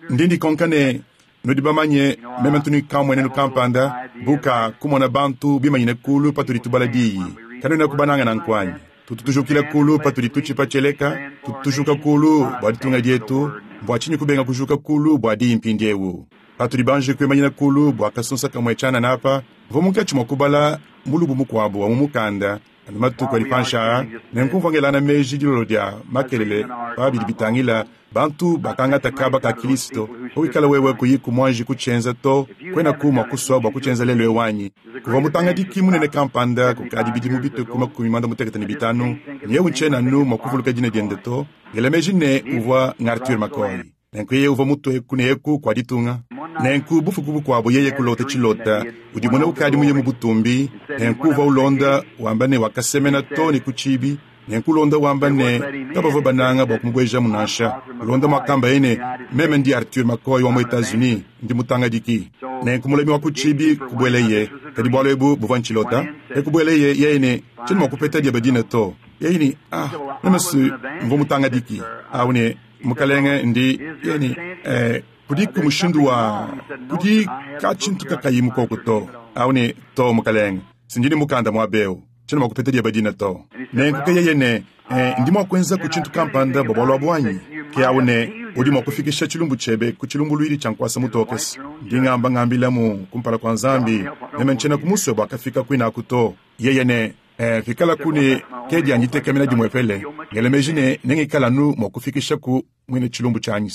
Ndi ndikonka ne, Nudi bamanye, meme ntu ne kamwenenu kampanda, bu ka kumona bantu bimanyine kuulu patudi tubala Diyi. Kanuenaku banange nanku anyi? Tutu tujukila kuulu patudi tutshipa tshieleka, tutu tujuka kuulu bua ditunga dietu, mbua tshinyi kubenga kujuka kuulu bua Diyi mpindiewu? Patudi banji kuimanyina kuulu bua kasunsa kamue tshianana apa, mvua munkatshi mua kubala mulubu mukuabu wa mu mukanda anu matuku adi panshi aa, nenku mvua ngelangana meji dilolo dia makelele pa bidi bitangila bantu bakangata kaba ka Kilisto. Pawikala wewe kuyiku muanji kutshienza to, kuenaku mua kusua bua kutshienza lelu eu anyi? Kuvua mutangadiki munene kampanda kukadi bidimu bitue ku 55, ne eu ntshiena anu mua kuvuluka dina diende to, ngela meji ne, uvua ng'Arthur McCoy. Nenku yeye uvua mutue eku ne eku kua ditunga. Nenku bufuku bukuabo yeye kulota tshilota, udimona ukadi muye mu butumbi. Nenku uvua ulonda wamba ne wakasemena too ne ku tshiibi. Nenku ulonda wamba ne kabavua bananga bua kumubuejamu nansha. Ulonda muakambaye ne, Meme ndi Arthur McCoy wa mu Etats-Unis, ndi mutangadiki. Nenku mulami wa ku tshiibi kubueleye, kadi bualu ebu buvua ntshilota. E kubueleye yeye ne, Tshiena mua kupeta diebe dina to. Yeye ne, Ah, meme si mvua mutangadiki awu ne, Mukalenge, ndi yeye eh, kudiku mushindu wa kudi katshintu kakayi mukoko to awu ne to mukalenge sindi ne mukanda muaba eu tshiena mua kupeta dieba dina to nenku ke yeye ne eh, ndi mua kuenza ku tshintu kampanda bua bualu abu anyi ke awu ne udi mua kufikisha tshilumbu tshiebe ku tshilumbuluidi tshia nkuasa mutokese ndi ngamba ngambilamu kumpala kua nzambi meme ntshiena kumusue bua kafika kuinaku to yeye ne Eh, pikalaku ne ke dia ditekemena dimuepele, ngela meji ne nengikala anu mua kufikisha ku muine tshilumbu tshianyi.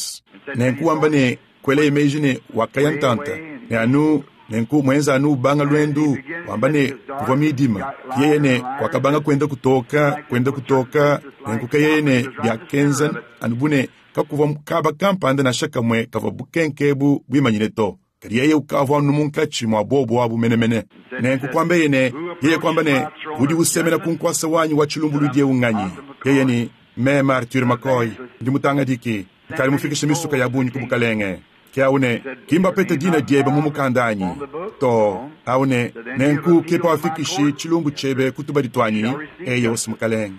Nenku wamba ne kuelaye meji ne wakaya ntanta ne anu nenku muenza anu ubanga luendu wamba ne kuvua midima yeye ne wakabanga kuenda kutoka kuenda kutoka nenku ke yeye ne biakenza anu bu ne kakuvua kaba kampanda nansha kamue kavua bukenke ebu buimanyine to. Kadi yeye ukavua anu munkatshi mua bobu abu menemene. Nenku kuambeye ne, yeye kuamba ne, Udi usemena ku nkuasa wanyi wa tshilumbuluidi eu nnganyi? Yeye ne, Meme Arthur McCoy, ndi mutangadiki, nkadi mufikishe misuka ya bungi ku bukalenge. Ke awu ne, Ki mbapete dina diebe mu mukanda anyi? Too. Awu ne, Nenku ke pawafikishi tshilumbu tshiebe ku tubadi tuanyi? Eyo, mukalenge.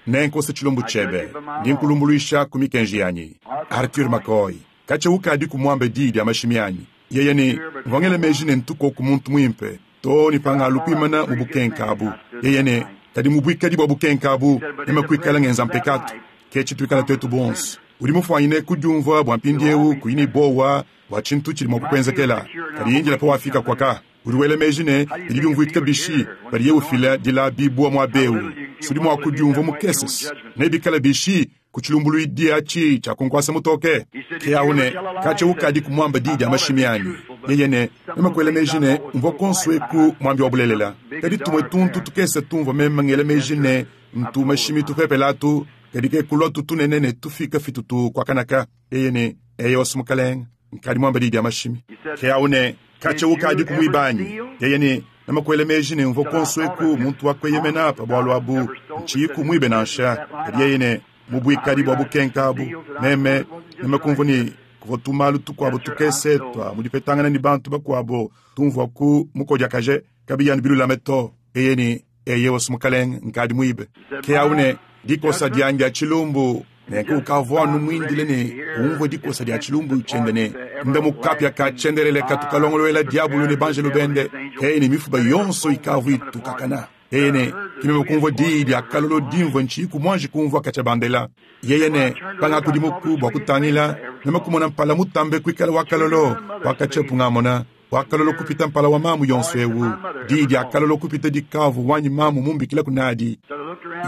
Nenkose tshilumbu tshiebe. Ndi nkulumbuluisha ku mikenji yanyi. Arthur McCoy. Katshia ukadiku muambe diyi dia mashimi anyi? Yeye ne, Mvua ngela meji ne ntu koku muntu muimpe, too ne pangalu kuimana mu bukenka abu. Yeye ne, Kadi mu buikadi bua bukenka abu, meme kuikala ngenza mpekatu. Ke tshituikala tuetu bonso. Udi mufuanyine kudiumvua bua mpindieu kuyi ne buowa bua tshintu tshidi mua kukuenzekela. Kadi indila pawafika kuaka. Udi wela meji ne, bidi biumvuika bishi padiye ufila dilabibua muaba eu? Udi mua kudiumvua mukese. Nebikale bishi ku tshilumbuluidi atshi tshia ku nkuasa mutoke? Ke awu ne, Katshia ukadiku muambe diyi dia mashimi anyi? Yeye ne, Meme kuela meji ne, mvua kuonso eku muambi wa bulelela. Kadi tumue tuntu tukese tumvua meme ngela meji ne, ntu mashimi tupepele atu, kadi ke kuluatu tunene ne tufika fitutu kuakanaka. Yeye ne, Eyowa, Mukalenge, nkadi muambe diyi dia mashimi. Ke awu ne, Katshia ukadiku muibe anyi? Yeye ne, Meme kuela meji ne, mvua kuonso eku muntu wa kueyemena pa bualu abu, ntshiyiku muibe nansha. Kadi yeye ne, Mu buikadi bua bukenka abu, meme, meme kumvua ne, kuvua tumalu tukuabo tukese tua mu dipetangana ne bantu bakuabo tumvuaku mukodiakaje, kabiyi anu bilulame to. Yeye ne, Eyowa, Mukalenge, nkadi muibe. Ke awu ne, Dikosa dianyi dia tshilumbu. Nenku ukavua anu muindile ne umvue dikosa dia tshilumbu tshiende ne nda mu kapia ka tshiendelele katu kalongoluela Diabolo ne banjelu bende. Yeye ne mifuba yonso ikavua itukakana. Yeye ne, Ke meme kumvua diyi dia kalolo dimvua ntshiyiku muanji kumvua katshia bandela. Yeye ne, Pangakudimuku bua kutangila, meme kumona mpala mutambe kuikala wa kalolo wa katshia pungamona. Wa kalolo kupita mpala wa mamu yonso eu, diyi dia kalolo kupita dikavua wanyi mamu mumbikilaku nadi.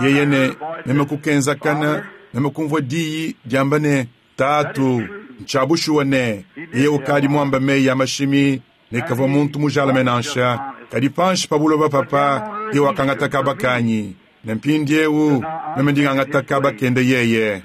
Yeye ne, Meme kukenzakana, meme kumvua diyi diamba ne, Tatu, ntshia bushuwa ne, yeye ukadi muambe meyi a mashimi ne kavua muntu mujalame nansha, kadi panshi pa buloba papa yeye wakangata kaba kanyi, ne mpindieu meme ndi ngangata kaba kende yeye.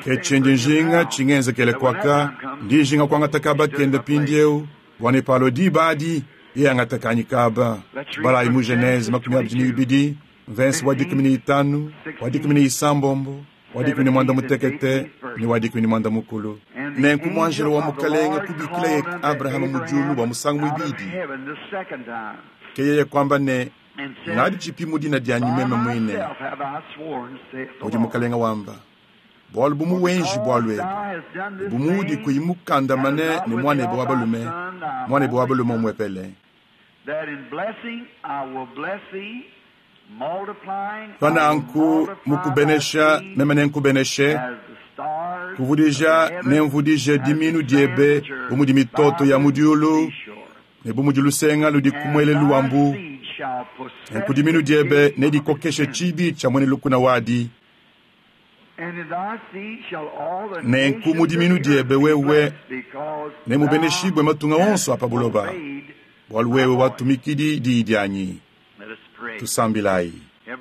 Ke tshindi njinga tshingenzekele kuaka, ndi njinga kuangata kaba kende mpindieu, bua ne palua diba adi, yeye angata kanyi kaba. Tubalayi mu Genese 22, mvese wa 15, wa 16, wa 18 ne wa 40. Nenku muanjelo wa Mukalenge kubikilaye Abrahama mu diulu bua musangu muibidi. Ke yeye kuamba ne, Ngaditshipi mu dina dianyi meme muine, mudi Mukalenge wamba. Bualu bu muwenji bualu ebu, ne bu muudi kuyi mukandamane ne muanebe wa balume, muanebe wa balume umuepele, pa nanku mukubenesha meme nenkubeneshe, kuvudija nemvudije dimiinu diebe bu mudi mitoto ya mu diulu ne bu mudi lusenga ludi ku muelelu wa mbu. Nenku dimiinu diebe nedikokeshe tshibi tshia muena lukuna wadi. Nenku mu dimiinu diebe wewe nemubeneshibue matunga onso a pa buloba, bualu wewe watumikidi diyi dianyi. Tusambilayi.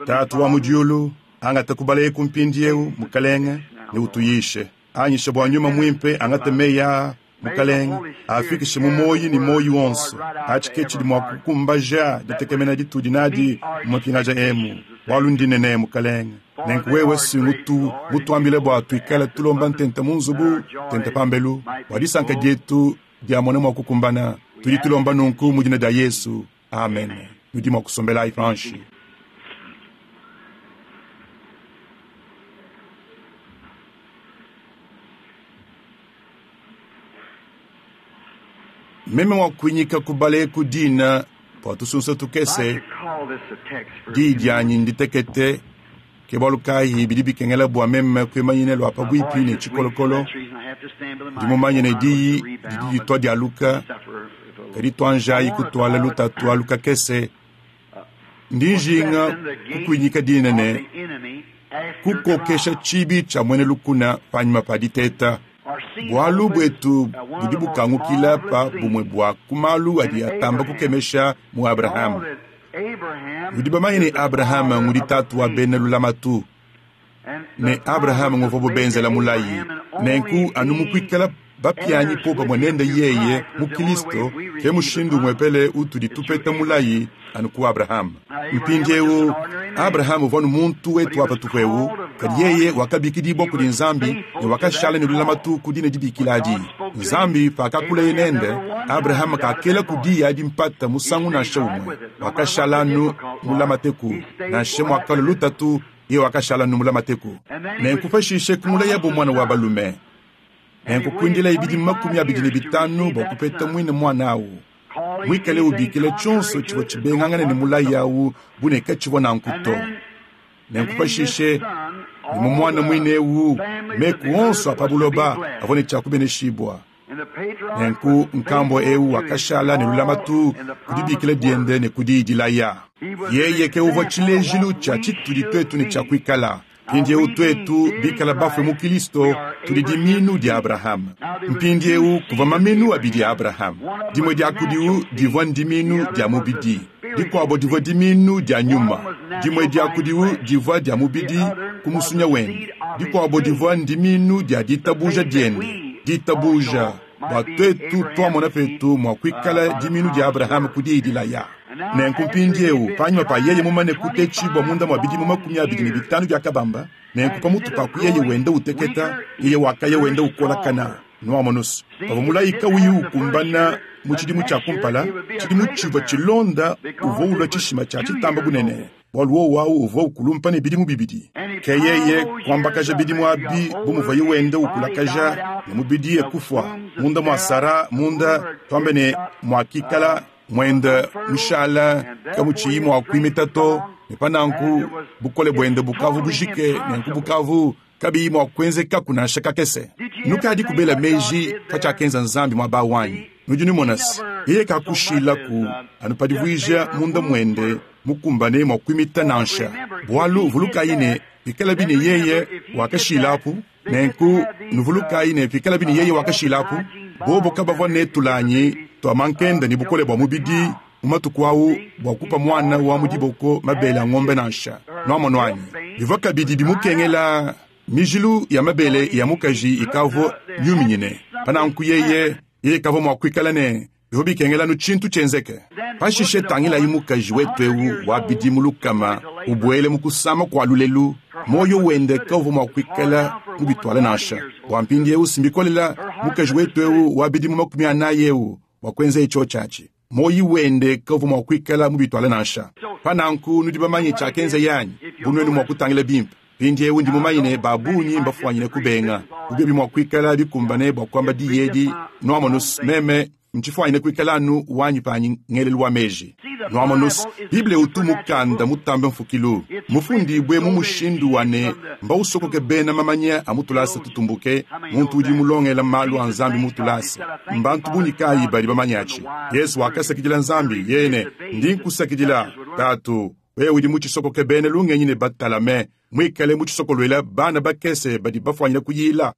Tatu wa mu diulu, angata kubala eku mpindieu, Mukalenge, ne utuyishe. Anyisha bua Nyuma Muimpe angate meyi aa, Mukalenge, aafikishe mu muoyi ne muoyi wonso. Atshi ke tshidi mua kukumbaja ditekemena ditudi nadi mu mapingaja emu, bualu ndinene, Mukalenge. Nenku wewe si ngutu mutuambile bua tuikale tulomba ntenta mu nzubu, ntenta pambelu, bua disanka dietu diamona mua kukumbana. Tudi tulomba nunku mu dina dia Yesu. Amen. Nudi mua kusombelayi panshi. Meme mua kuinyika kubala eku dina bua tusunsa tukese, diyi dianyi nditekete, ke bualu kayi bidi bikengela bua meme kuimanyina lua pabuipi ne tshikolokolo. Ndi mumanye ne diyi didi ditua dialuka, kadi tuanjayi kutuala lutatu alu kakese. Ndi njinga kukuinyika dina ne kukokesha tshibi tshia muena lukuna panyima pa diteta. Bualu buetu budi bukangukila pa bumue bua ku malu adi atamba kukemesha mu Abrahama. Nudi bamanye ne Abrahama ngudi tatu wa bena lulamatu, ne Abrahama nguvuabu benzela mulayi. Nenku anu mu kuikala bapianyi popamue nende yeye mu Kristo, ke mushindu umuepele utudi tupeta mulayi anu ku Abrahama. Mpindieu Abrahama uvua nu muntu wetu wa patupu eu, kadi yeye wakabikidibua kudi Nzambi ne wakashala ne lulamatu ku dina dibikila adi. Nzambi pakakuleye nende, Abrahama kakela ku diyi adi mpata musangu nansha umue. Wakashala anu mulamateku, nansha muakalua lutatu, yeye wakashala anu mulamateku. Nenku pashishe kumulayabo muana wa balume. Nenku kuindilaye bidimu 25 bua kupeta muine muana awu, muikale ubikila tshionso tshivua tshibengangane ne mulayi awu bu ne katshivua nanku to. Nenku pashishe ne mu muana muine eu, meku onso a pa buloba avua ne tshia kubeneshibua. Nenku nkambua eu wakashala ne lulamatu ku dibikila diende ne ku diyi dilaya. Yeye ke uvua tshilejilu tshia tshitudi tuetu ne tshia kuikala. Mpindieu tuetu bikala bafue mu Kristo, tudi dimiinu dia Abrahama. Mpindieu kuvua maminu abidi a Abrahama. Dimue dia kudiwu divua ndimiinu dia mubidi, dikuabo divua dimiinu dia nyuma. Dimue dia kudiwu divua dia mubidi ku musunya wende, dikuabo divua ndimiinu dia ditabuja diende. Ditabuja bua tuetu tuamona petu mua kuikala dimiinu dia Abrahama ku diyi dilaya. Nenku mpindieu panyima pa yeye mumane kutetshibua munda mua bidimu 25 biakabamba, nenku pamutu pa kuyeye wenda uteketa, yeye wakaya wenda ukolakana. Nuamonusu, pavua mulayi kauyi ukumbana mu tshidimu tshia kumpala, tshidimu tshivua tshilonda uvua ulua tshishima tshia tshitamba bunene, bualu wowu awu uvua ukulumpa ne bidimu bibidi. Ke yeye kuambakaja bidimu abi bu muvuaye wenda ukulakaja, ne mubidi ye kufua munda mua Sara munda, tuambe ne muakikala muenda mushala kamutshiyi mua kuimita to, ne pa nanku bukole buende bukavu bujike, nenku bukavu kabiyi mua kuenzekaku nansha kakese. Nukadi kubela meji pa tshiakenza Nzambi muaba wanyi. Nudi numona se, yeye kakushilaku anu pa divuija munda muende mukumbane mua kuimita nansha. Bualu vulukayi ne, pikalabi ne yeye wakashilapu, nenku nuvulukayi ne pikalabi ne yeye wakashilapu, bobo kabavua ne tulanyi tua mankenda ne bukole bua mubidi mu matuku awu bua kupa muana wa mu diboko mabele a ngombe nansha. Nuamonu anyi? Bivua kabidi bimukengela mijilu ya mabele ya mukaji ikavua miuminyine. Pa nanku yeye kavua mua kuikala ne bivua bikengela anu tshintu tshienzeke. Pashishe tangilayi mukaji wetu eu wa bidimu 100 ubuele mu kusama kua lulelu, muoyo wende kavua mua kuikala mubituala nansha. Bua mpindieu simbikolela mukaji wetu eu wa bidimu 40 eu bua kuenza etsho tshiatshi. Muoyo wende kavua mua kuikala mubituala nansha. Pa nanku nudi bamanye tshiakenza yanyi, bu nuenu mua kutangila bimpe. Mpindyewu ndi mumanye ne baabungi mbafwanyine kubenga. Bu byobi mwa kwikala bikumbane bwa kwamba diyi edi, nwamonu's, meme ncifwanyine kwikala anu wanyi paanyi ngeelelu wa meeji. Nwamonu's, Bible utu mukanda mutambe mfukilu, mufundiibwe mu mushindu wa ne mbawusokoke beena mamanya a mu tulaasa tutumbuke, muntu udi mulongela maalu a Nzambi mu tulaasa. Mbantu bungi kaayi badi bamanye aci? Yesu wakasakidila Nzambi, yeye ne, Ndi nkusakidila, Taatu, wewe udi mucisokoke beena lungenyi ne batalame, mwikale mucisokolwela bana bakese badi bafwanyine kuyiila.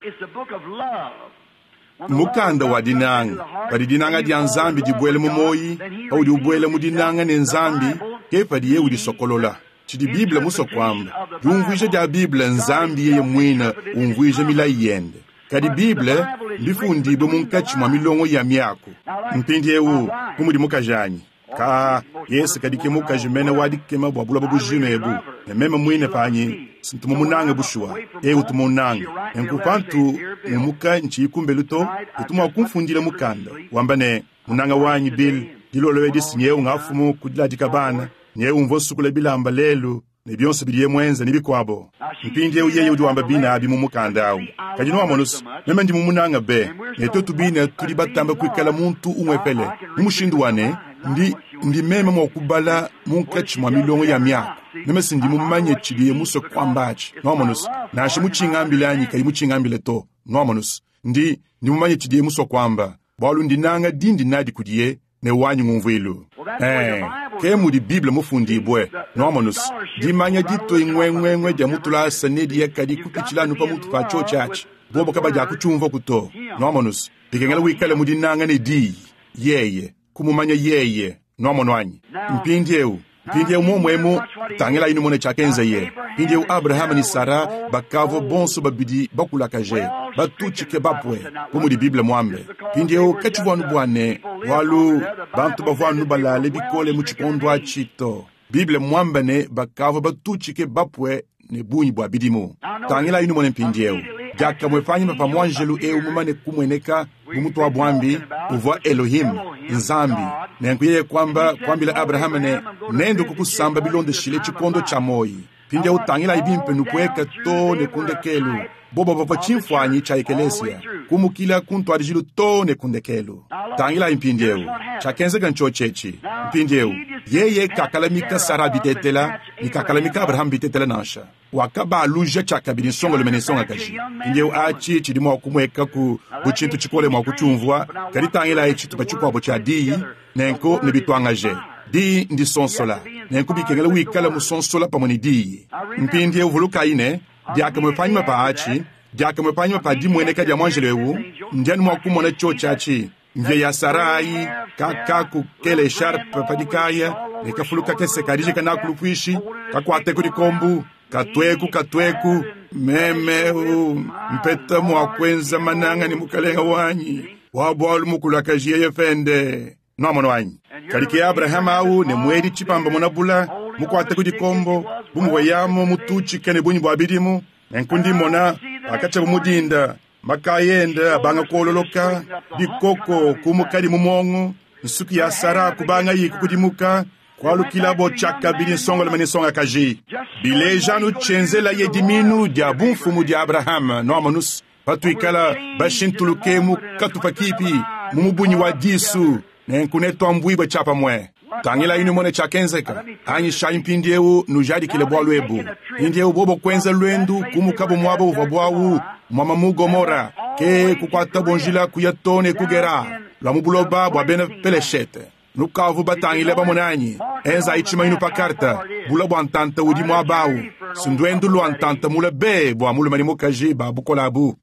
Mmukanda wa dinanga. Padi dinanga dya Nzambi dibwela mu mwoyi, paudi ubwela mu dinanga ne Nzambi, ke padiye udisokolola. Cidi Bible muswe kwamba, dyumvwija dya Bible n'Nzambi Yeye mwine umvwija milayi Yende. Kadi Bible mbifundiibwe munkaci mwa milongo ya myaku. Mpindyewu, bu mudi mukajaanyi. Kaa, yeye kadi ke mukaji mene wa dikema bwa buloba bujima ebu, ne meme mwine paanyi ntu mumunange bushuwa. Yeye utu munnange. Nenku pantu ngumuka nciyi kumbelu to, utu mwa kumfundila mukanda, wamba ne, Munanga wanyi Bill, dilolo edi's nyewu ngafumu ku diladika bana, nyewu mvwa nsukula bilamba leelu, ne byonso bidiye mwenze, ne bikwabo. Mpindyewu yeye udi wamba biine abi mu mukanda awu. Kadi nwamonu's, meme ndi mumunanga be, ne twetu biine tudi batambe kwikala muntu umwepele, mu mushindu wa ne, ndi, ndi meme mwa kubala munkaci mwa milongo ya myaku. Meme s'ndi mumanye cidiye muswe kwamba aci, nwamonu's, nansha mucingambile anyi kayi mucingambile to, nwamonu's. Ndi, ndi mumanye cidiye muswe kwamba, bwalu ndinanga dindi naadi kudiye, ne wanyi ngumvuilu. Ee, ke mudi Bible mufundibue. Nwamonu's, dimanya ditue ngwengwengwe dya mu tulaasa nediye kadi kupicila anu pamutu pa cyoci aci, bobo kabadyakucyumvwaku to. Nwamonu's, bikengela wikale mu dinanga ne Diyi, Yeye, kumumanya Yeye. Nwamonu anyi? Mpindyewu, mpindyewu mwomo emu, tangilaayi numone cyakenzeye. Mpindyewu Abrahama ne Sara bakaavwa bonso babidi bakulakaje, batucike bapwe, bu mudi Bible mwambe. Mpindyewu kacivwa anu bwa ne, bwalu bantu bavwa anu balaale bikole mu cikondo aci to. Bible mmwambe ne bakaavwa batucike bapwe ne bungi bwa bidimu. Tangilaayi numone mpindyewu. Dyakamwe paanyima pa mwanjelu ewu mumane kumweneka bu mutwabwambi, uvwa Elohim, Nzambi. Nenku yeye kwamba, kwambila Abrahama ne, Nendwe kukusamba bilondeshile cikondo cya mwoyi. Mpindyewu tangilaayi bimpe nupweka too ne ku ndekeelu. Bobo bavwa cimfwanyi cya ekeleesiya, kumukila ku ntwadijilu too ne ku ndekeelu. Tangilaayi mpindyewu, cyakenzeka ncyoci eci. Mpindyewu, yeye kakalamika Sara bitetela, ne kakalamika Abraham bitetela nansha. Wakabaaluja cyakabidi nsongalume ne nsongakaji. Mpindyewu aci cidi mwa kumwekaku bu cintu cikole mwa kucyumvwa, kadi tangilaayi citupa cikwabo cya Diyi, nenku nebitwangaje. Diyi ndisonsola, nenku bikengela wikale musonsola pamwe ne Diyi. Mpindyewu vulukaayi ne, dyakamwe paanyima paa aci, dyakamwe paanyima paa dimweneka dya mwanjelo ewu, ndi anu mwa kumona cyoci aci, mvya ya Sara ayi, kakaku kela echarpe pa dikaaya, ne kafulu kakese kadijika naaku lupwishi, kakwate ku dikombu, katweku, katweku, meme ewu mpeta mwa kwenza mananga ne mukalenga wanyi wa bwalu mukulakaji yeye pende. Nwamonu anyi? Kadi ke Abrahama awu ne mwedi cipamba munabula, mukwate ku dikombo, bu muvwa yamu mutucike ne bungi bwa bidimu. Nenku ndi mmona, pakacyabu mu dinda, makaya ende abanga kwololoka, bikoko kumukadi mu mwongo, nsuki ya Sara kubangayi kukudimuka, kwalukilabo cyakabidi nsongalume ne nsongakaji. Bileja anu cyenzelaye dimiinu dya bumfumu dya Abrahama. Nwamonu's, patwikala bashintuluke mu katupa kipi, mu mubunyi wa disu, nenku netwambuibwe cyapamwe. Tangilayi numone cyakenzeka. Anyishayi mpindyewu nujadikile bwalu ebu. Mpindyewu bobo kwenza lwendu kumukabo mwaba uvwabo awu, mwama mu Gomora, ke kukwatabo njila kuya too ne ku Gera, lwa mu buloba bwa bena Peleshete. Nukavu batangile bamone anyi? Enzayi tshimanyinu pa karta, bula bua ntanta udi muaba au. Si nduendu lua ntanta mule be bua mulume ne mukaji ba bukole abu.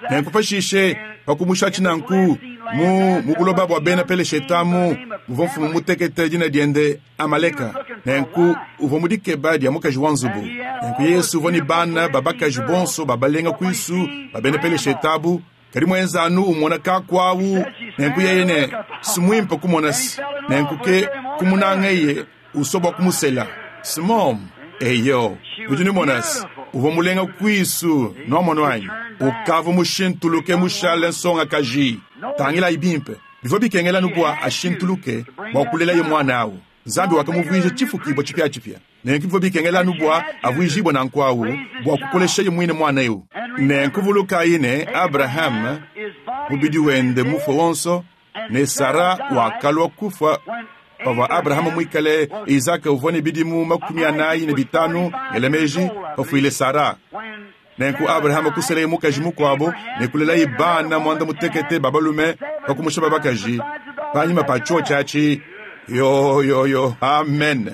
Nenku pashishe, pa kumushatshi nanku, mu, mu buloba bua bena Peleshete amu, muvua mfumu mutekete dina diende Amaleka. Nenku uvua mu dikeba dia mukaji wa nzubu. Nenku Yesu uvua ne bana ba bakaji bonso ba balenga kuisu ba bena Peleshete abu. Kadi mwenza anu umona kaku awu, nenku yeye ne, S'mwimpe kumona's. Nenku ke kumunangeye, uswa bwa kumusela. S'mom. Eyo, nudi numona's, uvwa mulenga kwisu, nwamonu anyi? Ukavwa mushintuluke mushale nsongakaji. Tangilayi bimpe, bivwa bikengela anu bwa ashintuluke bwa kulelaye mwana awu. Nzambi wakamuvwija cifukibwa cipyacipya. Nenku bivwa bikengela anu bwa avwijiibwe nanku awu, bwa kukoleshaye mwine mwana ewu. Nenku vulukaayi ne, Abraham, mubidi wende mufwe wonso, ne Sara wakalwa kufwa pavwa Abraham mwikale, Izaka uvwa ne bidimu 45, ngela meeji, pafwile Sara. Nenku Abraham kuseleye mukaji mukwabo ne kulelaye bana mwandamutekete ba balume pa kumusha ba bakaji panyima pa cyoci aci. Yo, yo, yo. Amen.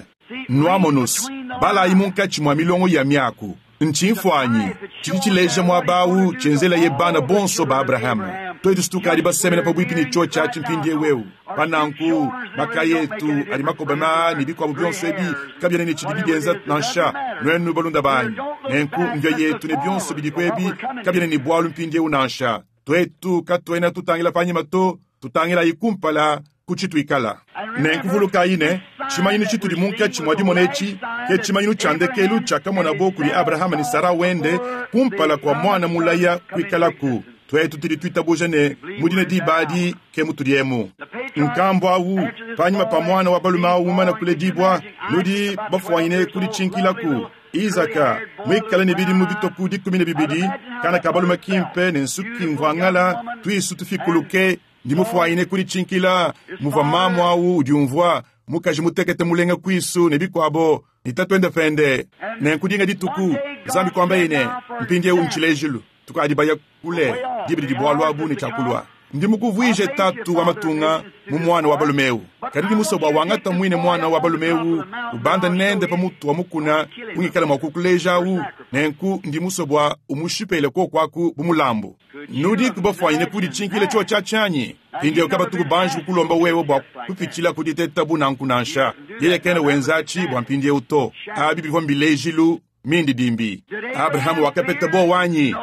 Nwamonu's, balayi munkaci mwa milongo ya myaku. Ncimfwanyi cidi cileja mwaba awu cyenzelaye bana bonso ba Abraham. Twetu s'tukaadi basemena pabwipi ne cyoci aci mpindyewu ewu. Pa nanku, makaya etu adi makobama ne bikwabo byonso ebi kabyena ne cidibi byenza nansha, nwenu balunda baanyi. Nenku mvya yetu ne byonso bidiku ebi kabyena ne bwalu mpindyewu nansha. Twetu katwena tutangila panyima to, tutangilayi kumpala ku citwikala. Nenku vulukayi ne, cimanyinu citudi munkaci mwa dimona eci ke cimanyinu cya ndekelu cyakamonabo kudi Abrahama ne Sara wende kumpala kwa mwana mulaya kwikalaku. Twetu tudi twitabuja ne mu dine diba adi ke mutudi emu. Nkambwa awu, panyima pa mwana wa balume awu mumane kuledibwa, nudi bafwanyine kudicinkilaku. Izaka, mwikale ne bidimu bitwe ku 12, kana ka balume kimpe ne nsuki mvwangala, twisu tufikuluke, ndi mufwanyine kudicinkila muvwa maamu awu udyumvwa, mukaji mutekete mulenga kwisu ne bikwabo, ne tatwende pende. Nenku dinga dituku, Nzambi kwambaye ne, Mpindyewu ncilejilu, tukaadi baya kule, diba didi bwalu abu ne cya kulwa. Ndi mukuvwije tatu wa matunga mu mwana wa balume ewu. Kadi ndi muswe bwa wangata mwine mwana wa balume ewu, ubanda nende pa mutu wa mukuna ungikala mwa kukuleja awu, nenku ndi muswe bwa umushipele kwoku aku bu mulambu. Nudiku bafwanyine kudicinkila cyoci aci anyi? Mpindyewu kabatuku banji kukulomba wewe bwa kupicila ku diteta bu nanku nansha. Yeye kena wenza aci bwa mpindyewu to. Abi bivwa mbilejilu. Mindidimbi. Abraham wakapeta buowa anyi?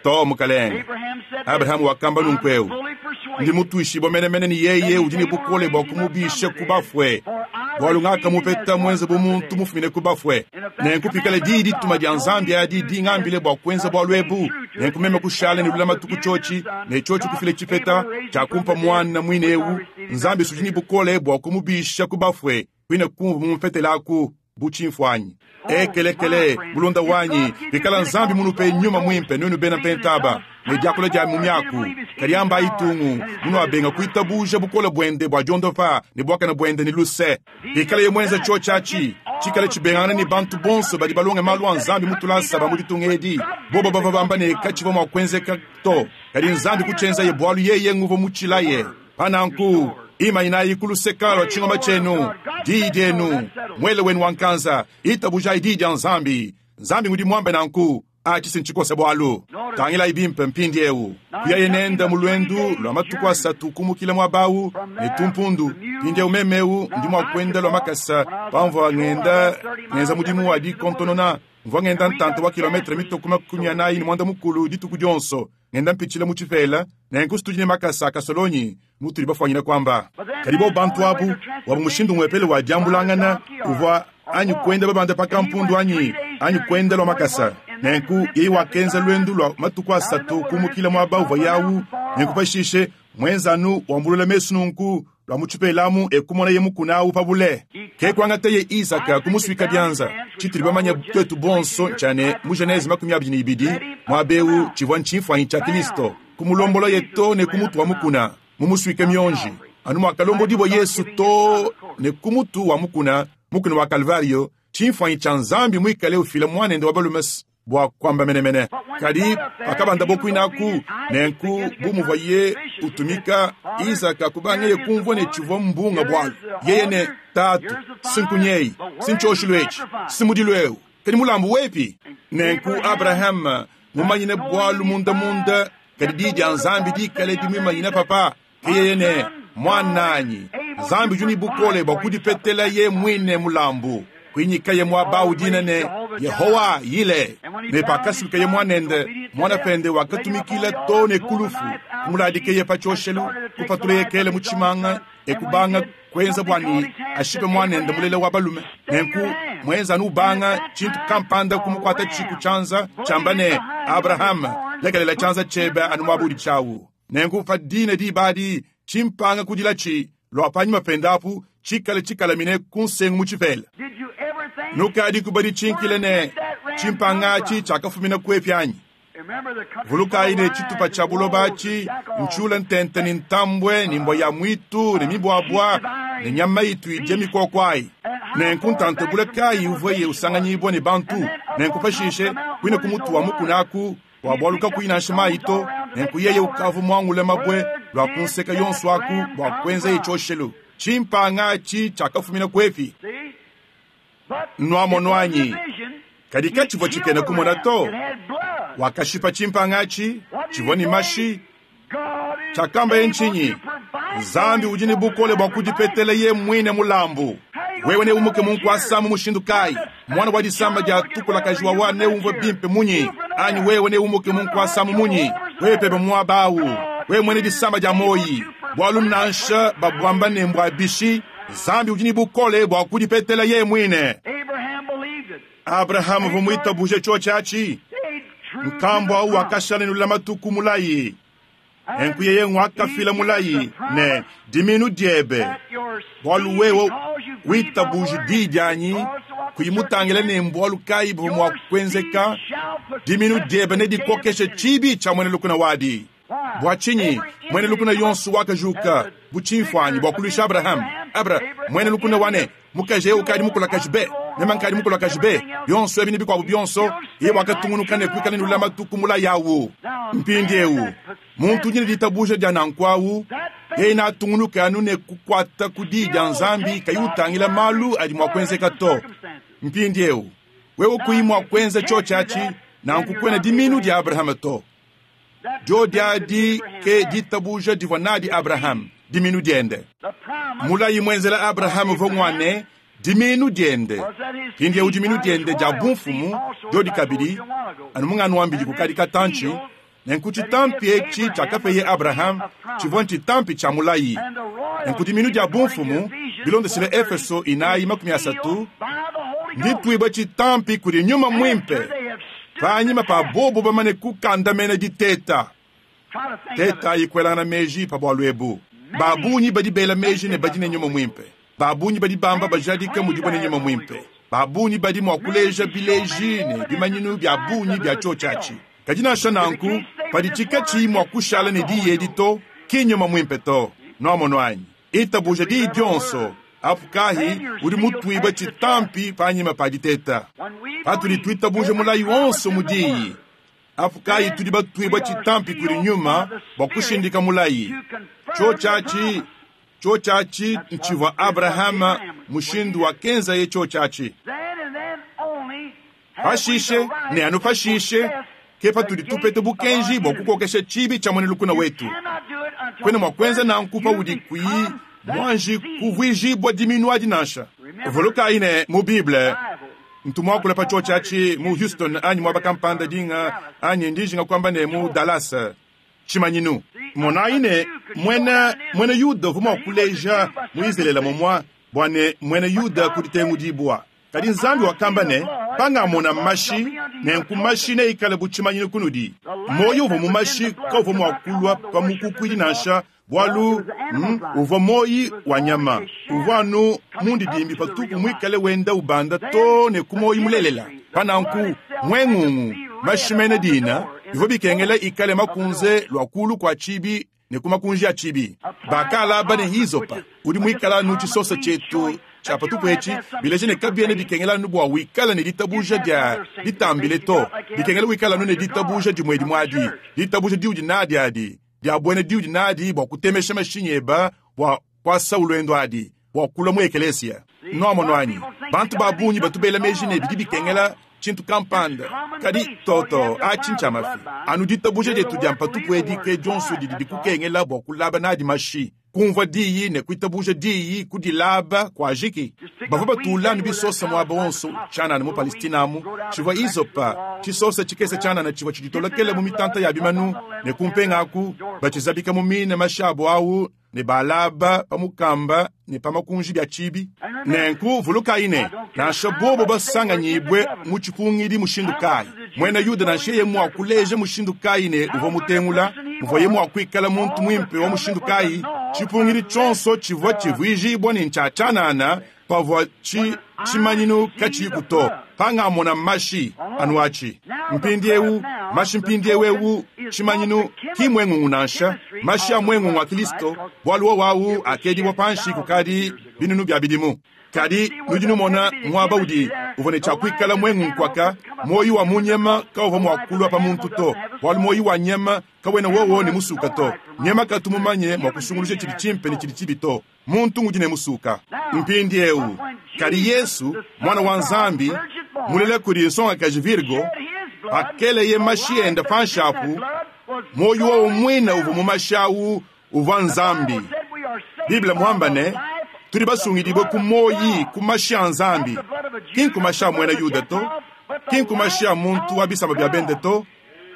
Too, mukalenge. Abraham wakamba nunku'eu, Ndi mutuishibue menemene ne yeye udi ne bukole bua kumubisha ku bafue, bualu ngakamupeta muenze bu muntu mufumine ku bafue. Nenku pikala diyi-dituma dia Nzambi adi dingambile bua kuenza bualu ebu, nenku meme kushala ne lulamatu ku tshiotshi, ne tshiotshi kufila tshipeta, tshiakumpa muana muine eu, Nzambi s'udi ne bukole bua kumubisha ku bafue, kuine kumvua mumupetelaku. Bu tshimfuanyi. Ekelekele, mulunda wanyi, pikala Nzambi munupe Nyuma Muimpe nuenu bena Mpentaba, ne diakula dia mu miaku, kadi ambayi tungu, munuabenga kuitabuja bukole buende bua diondopa ne buakane buende ne luse. Pikalaye muenza tshiotshi atshi, tshikale tshibengangana ne bantu bonso badi balonge malu a Nzambi mu tulasa ba mu ditunga edi, bobo bavua bamba ne katshivua mua kuenzeka to, kadi Nzambi kutshienzaye bualu yeye nguvua mutshilaye. Pa nanku, imanyinayi ku luseka lua tshingoma tshienu, diyi dienu, muele wenu wa nkanza, itabujayi diyi dia Nzambi. Nzambi ngudi muambe nanku. Atshi si ntshikose bualu. Tangilayi bimpe mpindiewu. Kuyaye nende mu luendu lua matuku asatu kumukila muaba awu ne tumpundu. Mpindiewu meme ewu ndi mua kuenda lua makasa pamvua ngenda ngenza mudimu wa dikontonona. Mvua ngenda ntanta wa kilometre mitue ku 45 dituku dionso. Ngenda mpitshila mu tshipela, nenku s'tudi ne makasa a kasolonyi, mutudi bafwanyine kwamba. Kadi bobo bantu abu, wabu mushindu umwepele wa dyambulangana uvwa anyi kwenda babanda pa kampundu anyi, anyi kwenda lwa makasa. Nenku yeye wakenza lwendu lwa matuku asatu kuumukila mwaba uvwaye awu, nenku pashiishe mwenza anu wambulula mesu nunku, lwa mu tshipela amu e kumonaye mukuna awu pa bule. Ke kuangateye Izaka kumuswika bianza. Tshitudi bamanye tuetu bonso ntshia ne, mu Genese 22, muaba eu tshivua ntshimfuanyi tshia Kristo, kumulombolaye too ne ku mutu wa mukuna, mumusuike mionji, anu muakalombodibua Yesu too ne ku mutu wa mukuna, mukuna wa Kalvario, tshimfuanyi tshia Nzambi muikale ufila Muanende wa balume bua kuamba menemene. Kadi pakabandabo kuinaku, nenku bu muvuaye utumika, Izaka kubangeye kumvua ne tshivua mbunga bualu. Yeye ne, Tatu, si nkunyeyi, si ntshioshelu etshi, si mudilu eu, kadi mulambu wepi? Nenku Abrahama mumanyine bualu mundamunda, kadi Diyi dia Nzambi dikale dimuimanyine papa. Ke yeye ne, Muananyi, Nzambi udi ne bukole bua kudipetelaye muine mulambu. Kuinyikaye muaba au dina ne, Yehowa Yile. Ne pakasubikaye muanende, muana pende wakatumikila too ne ku lufu, kumuladikeye pa tshioshelu, kupatuleye kele mu tshimanga e kubanga kuenza bua ne ashipe muanende mulela wa balume. Nenku muenza anu ubanga tshintu kampanda kumukuatatshi ku tshianza, tshiamba ne, Abrahama, lekelela tshianza tshiebe anu muaba udi tshiawu. Nenku pa dine diba adi, tshimpanga kudilatshi lua panyima pende apu tshikale tshikalamine ku nsengu mu tshipela. Nukadiku baditshinkile ne, tshimpanga atshi tshiakafumina kuepi anyi? Vulukayi ne, tshitupa tshia buloba atshi ntshiule ntente ne ntambue ne mbua ya muitu ne mibuabua ne nyama itu idia mikoko ayi. Nenku ntanta bule kayi uvuaye usanganyibua ne bantu? Nenku pashishe, kuine ku mutu wa mukuna aku, bua bualu kakuyi nansha mayi to, nenku yeye ukavua muangule mabue lua ku nseke yonso aku bua kuenzaye tshioshelu. Tshimpanga atshi tshiakafumina kuepi? Nuamonu anyi? Kadi katshivua tshikena kumona to. Wakashipa tshimpanga atshi, tshivua ne mashi. Tshiakambaye ntshinyi? Nzambi udi ne bukole bua kudipetela ye muine mulambu. Wewe neumuke mu nkuasa mu mushindu kayi? Muana wa disama dia tukulakaji wawa neumvue bimpe munyi? Anyi wewe neumuke mu nkuasa mu munyi? Wewe pebe muaba au, wewe muena disama dia muoyi, bualu nansha babuamba ne mbua bishi, Nzambi udi ne bukole bua kudipetela yeye muine. Abrahama uvua muitabuje tshiotshi atshi. Nkambua au wakashala ne lulamatu ku mulayi. Nenku yeye nguakafila mulayi ne, Dimiinu diebe, bualu wewe witabuji diyi dianyi, kuyi mutangile ne mbualu kayi buvua mua kuenzeka, dimiinu diebe nedikokeshe tshibi tshia muena lukuna wadi. Bua tshinyi muena lukuna yonso wakajuka bu tshimfuanyi bua kuluisha Abrahama? Abra, muena lukuna wa ne, mukaji eu ukadi mukulakaji be, meme nkadi mukulakaji be, bionso ebi ne bikuabu bionso, yeye wakatungunuka ne kuikala ne lulamatu ku mulayi au. Mpindieu, muntu udi ne ditabuja dia nanku au, yeye neatungunuke anu ne kukuata ku diyi dia Nzambi kayi utangila malu adi mua kuenzeka to. Mpindieu, wewe kuyi mua kuenza tshiotshi atshi, nanku kuena dimiinu dia Abrahama to. Diodi adi ke ditabuja divua nadi Abrahame, dimiinu diende. Mulayi muenzela Abrahame uvua ngua ne, dimiinu diende. Mpindieu dimiinu diende dia bumfumu diodi kabidi, anu munganuambidi kukadi katantshi, nenku tshitampi etshi tshiakapeye Abrahame tshivua ntshitampi tshia mulayi. Nenku dimiinu dia bumfumu, bilondeshile Efeso 4:30, ndituibue tshitampi kudi Nyuma Muimpe. Panyima pa bobu bamane kukandamena diteta, tetayi kuelangana meji pa bualu ebu. Ba bungi badi bela meji ne badi ne nyuma muimpe. Ba bungi badi bamba bajadika mudibo ne nyuma muimpe. Ba bungi badi mua kuleja bileji ne bimanyinu bia bungi bia tshiotshi atshi. Kadi nansha nanku, paditshi katshiyi mua kushala ne diyi edi to, ki nnyuma muimpe to. Nuamonu anyi? Itabuja diyi dionso, apu kahi udi mutuibue tshitampi panyima pa diteta. Patudi tuitabuja mulayi wonso mu diyi, apu kayi tudi batuibue tshitampi kudi nyuma bua kushindika mulayi. Tshiotshi atshi, tshiotshi atshi ntshivua Abrahama, mushindu wakenzaye tshiotshi atshi. Pashishe, ne anu pashishe, ke patudi tupeta bukenji bua kukokesha tshibi tshia muena lukuna wetu. Kuena mua kuenza nanku paudi kuyi muanji kuvuijibua diminu adi nansha. Vulukayi ne, mu Bible, ntu muakula pa tshiotshi atshi mu Houston anyi muaba kampanda dinga, anyi ndi njinga kuamba ne mu Dallas, tshimanyinu. Monayi ne, muena, muena Yuda uvua mua kuleja mu Izalele mumua bua ne muena Yuda ku ditengudibua. Kadi Nzambi wakamba ne, Pangamona mashi, nenku mashi neikale bu tshimanyinu kunudi. Muoyo uvua mu mashi kauvua mua kulua pa mukukuidi nansha, bualu mm, uvua muoyi wa nyama. Uvua anu mundidimbi patupu muikale wenda ubanda too ne ku muoyo mulelela. Pa nanku, muengungu, mashi mena dina, bivua bikengela ikale makunze lua kulu kua tshibi ne ku makunji a tshibi. Bakalaba ne hisopa, udi muikala anu tshisosa tshietu tshia patupu etshi, bileja ne kabiena bikengela anu bua wikala ne ditabuja dia ditambile to, bikengela wikala anu ne ditabuja dimue dimue adi, ditabuja diudi nadi adi, dia buena diudi nadi bua kutemesha mashinyi eba bua kuasawu luendu adi, bua kulua mu ekelesia. Nuamonu anyi? Bantu ba bungi batu bela meji ne bidi bikengela tshintu kampanda, kadi toto atshi ntshia mafi. Anu ditabuja dietu dia mpatupu edi ke dionso didi dikukengela bua kulaba nadi mashi, kumvua diyi ne kuitabuja diyi, kudilaba kuajiki. Bavua batula anu bisosa muaba wonso tshianana mu Palestina amu, tshivua izopa, tshisosa tshikese tshianana tshivua tshiditolokela mu mitanta ya bimanu ne kumpenga aku, batshizabika mu mine mashi abu au ne balaba pa mukamba ne pa makunji bia tshibi. Nenku vulukayi ne, nansha bobo basanganyibue mu tshipungidi mushindu kayi, muena Yuda nansha yeye mua kuleja mushindu kayi ne uvua mutengula, muvuaye mua kuikala muntu muimpe wa mushindu kayi, tshipungidi tshionso tshivua tshivuijibua ne ntshia tshianana. Pavwa ci, cimanyinu kaciyiku to, pangamona mashi anu aci. Mpindyewu, mashi mpindyewu ewu, cimanyinu, ki mwengungu nansha, mashi a mwengungu a Kilisto, bwalu wowo awu akeedibwa panshi kukaadi binunu bya bidimu. Kadi nudi numona mwaba udi uvwa ne cya kwikala mwengungu kwaka, mwoyi wa mu nyama kawuvwa mwa kulwa pa muntu to, bwalu mwoyi wa nyama kawena wowo ne musuka to. Nyama katu mumanye mwa kusunguluja cidi cimpe ne cidi cibi to. Muntu ngudi ne musuka. Mpindyewu, kadi Yesu, Mwana wa Nzambi, mulela kudi nsongakaji Virgo, pakeleye mashi ende panshi apu, mwoyi wowo mwine uvwa mu mashi awu uvwa Nzambi. Bible mwamba ne, tudi basungidibwe ku mwoyi, ku mashi a Nzambi, ki nku mashi a mwena Yuda to, ki nku mashi a muntu wa bisamba bya bende to,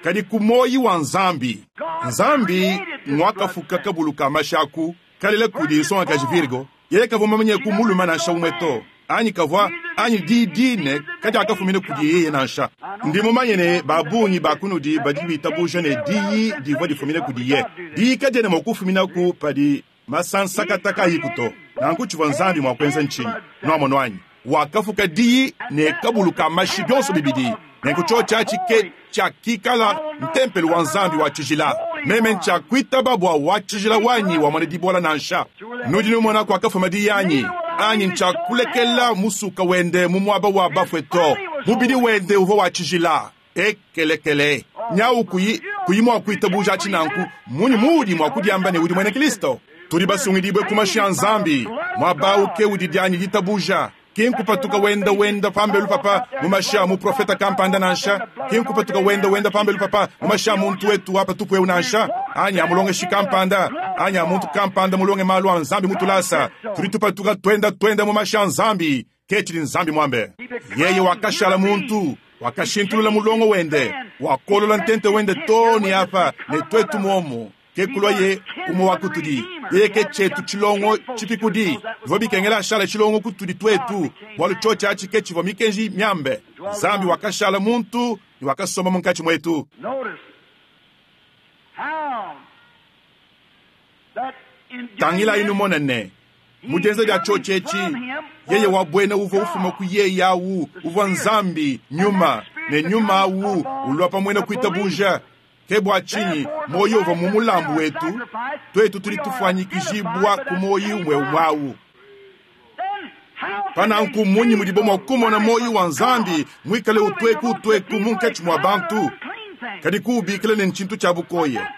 kadi ku mwoyi wa Nzambi. Nzambi ngwakafuka kabulu ka mashi aku, kalela kudi nsongakaji Virgo, yeye kavwa mumanye ku mulume nansha umwe to, anyi kavwa, anyi diyi dine kadiakafumine kudi yeye nansha. Ndi mumanye ne ba bungi ba kunudi badi bitabuja ne diyi divwa difumine kudiye. Diyi kadiena mwa kufuminaku padi masansakata kaayiku to. Nanku tshivwa Nzambi mwa kuenza ntshinyi? Nwamonu anyi? Wakafuka diyi ne kabulu ka mashi byonso bibidi. Nenku cyoci aci ke cyakikala ntempelu wa Nzambi wa cijila. Meme ncyakwitaba bwa wa cijila wanyi wamona dibola nansha. Nudi numona kwakafuma diyi anyi? Anyi ncyakulekela musuka wende mu mwaba wa bafwe to. Mubidi wende uvwa wa cijila. Ekelekele. Nyawu kuyi, kuyi mwa kwitabuja aci nanku, mmunyi muudi mwa kudyamba ne udi mwena Kilisto? Tudi basungidibwe ku mashi a Nzambi. Mwaba awu ke udi dyanyi ditabuja. Ki nkupatuka wenda wenda pambelu papa mu mashi a muprofeta kampanda nansha, ki nkupatuka wenda wenda pambelu papa mu mashi a muntu wetu wa patupu eu nansha, anyi a mulongeshi kampanda, anyi a muntu kampanda mulonge malu a Nzambi mu tulasa. Tudi tupatuka twenda twenda mu mashi a Nzambi. Ke tshidi Nzambi muambe. Yeye wakashala muntu, wakashintulula mulongo wende, wakolola ntente wende too ne apa, ne tuetu muomu. Ke kulwaye umwe wa kutudi. Yeye ke cyetu cilongo cipikudi. Bivwa bikengela ashala cilongo kutudi twetu, bwalu cyoci aci ke civwa mikenji myambe. Nzambi wakashala muntu ne wakasomba munkaci mwetu. Tangilayi numone ne, mu dyenza dya cyoci eci, Yeye wa bwena uvwa ufuma ku Yeye awu uvwa Nzambi, Nyuma, ne Nyuma awu ulwa pa mwena kwitabuja. Ke bwa cinyi mwoyi uvwa mu mulambu wetu, twetu tudi tufwanyikijibwa ku mwoyi umwe-umwe awu. Pa nanku mmunyi mudibo mwa kumona mwoyi wa Nzambi mwikale utweku-utweku munkaci mwa bantu, kadi kuwubikila ne ncintu cya bukoya?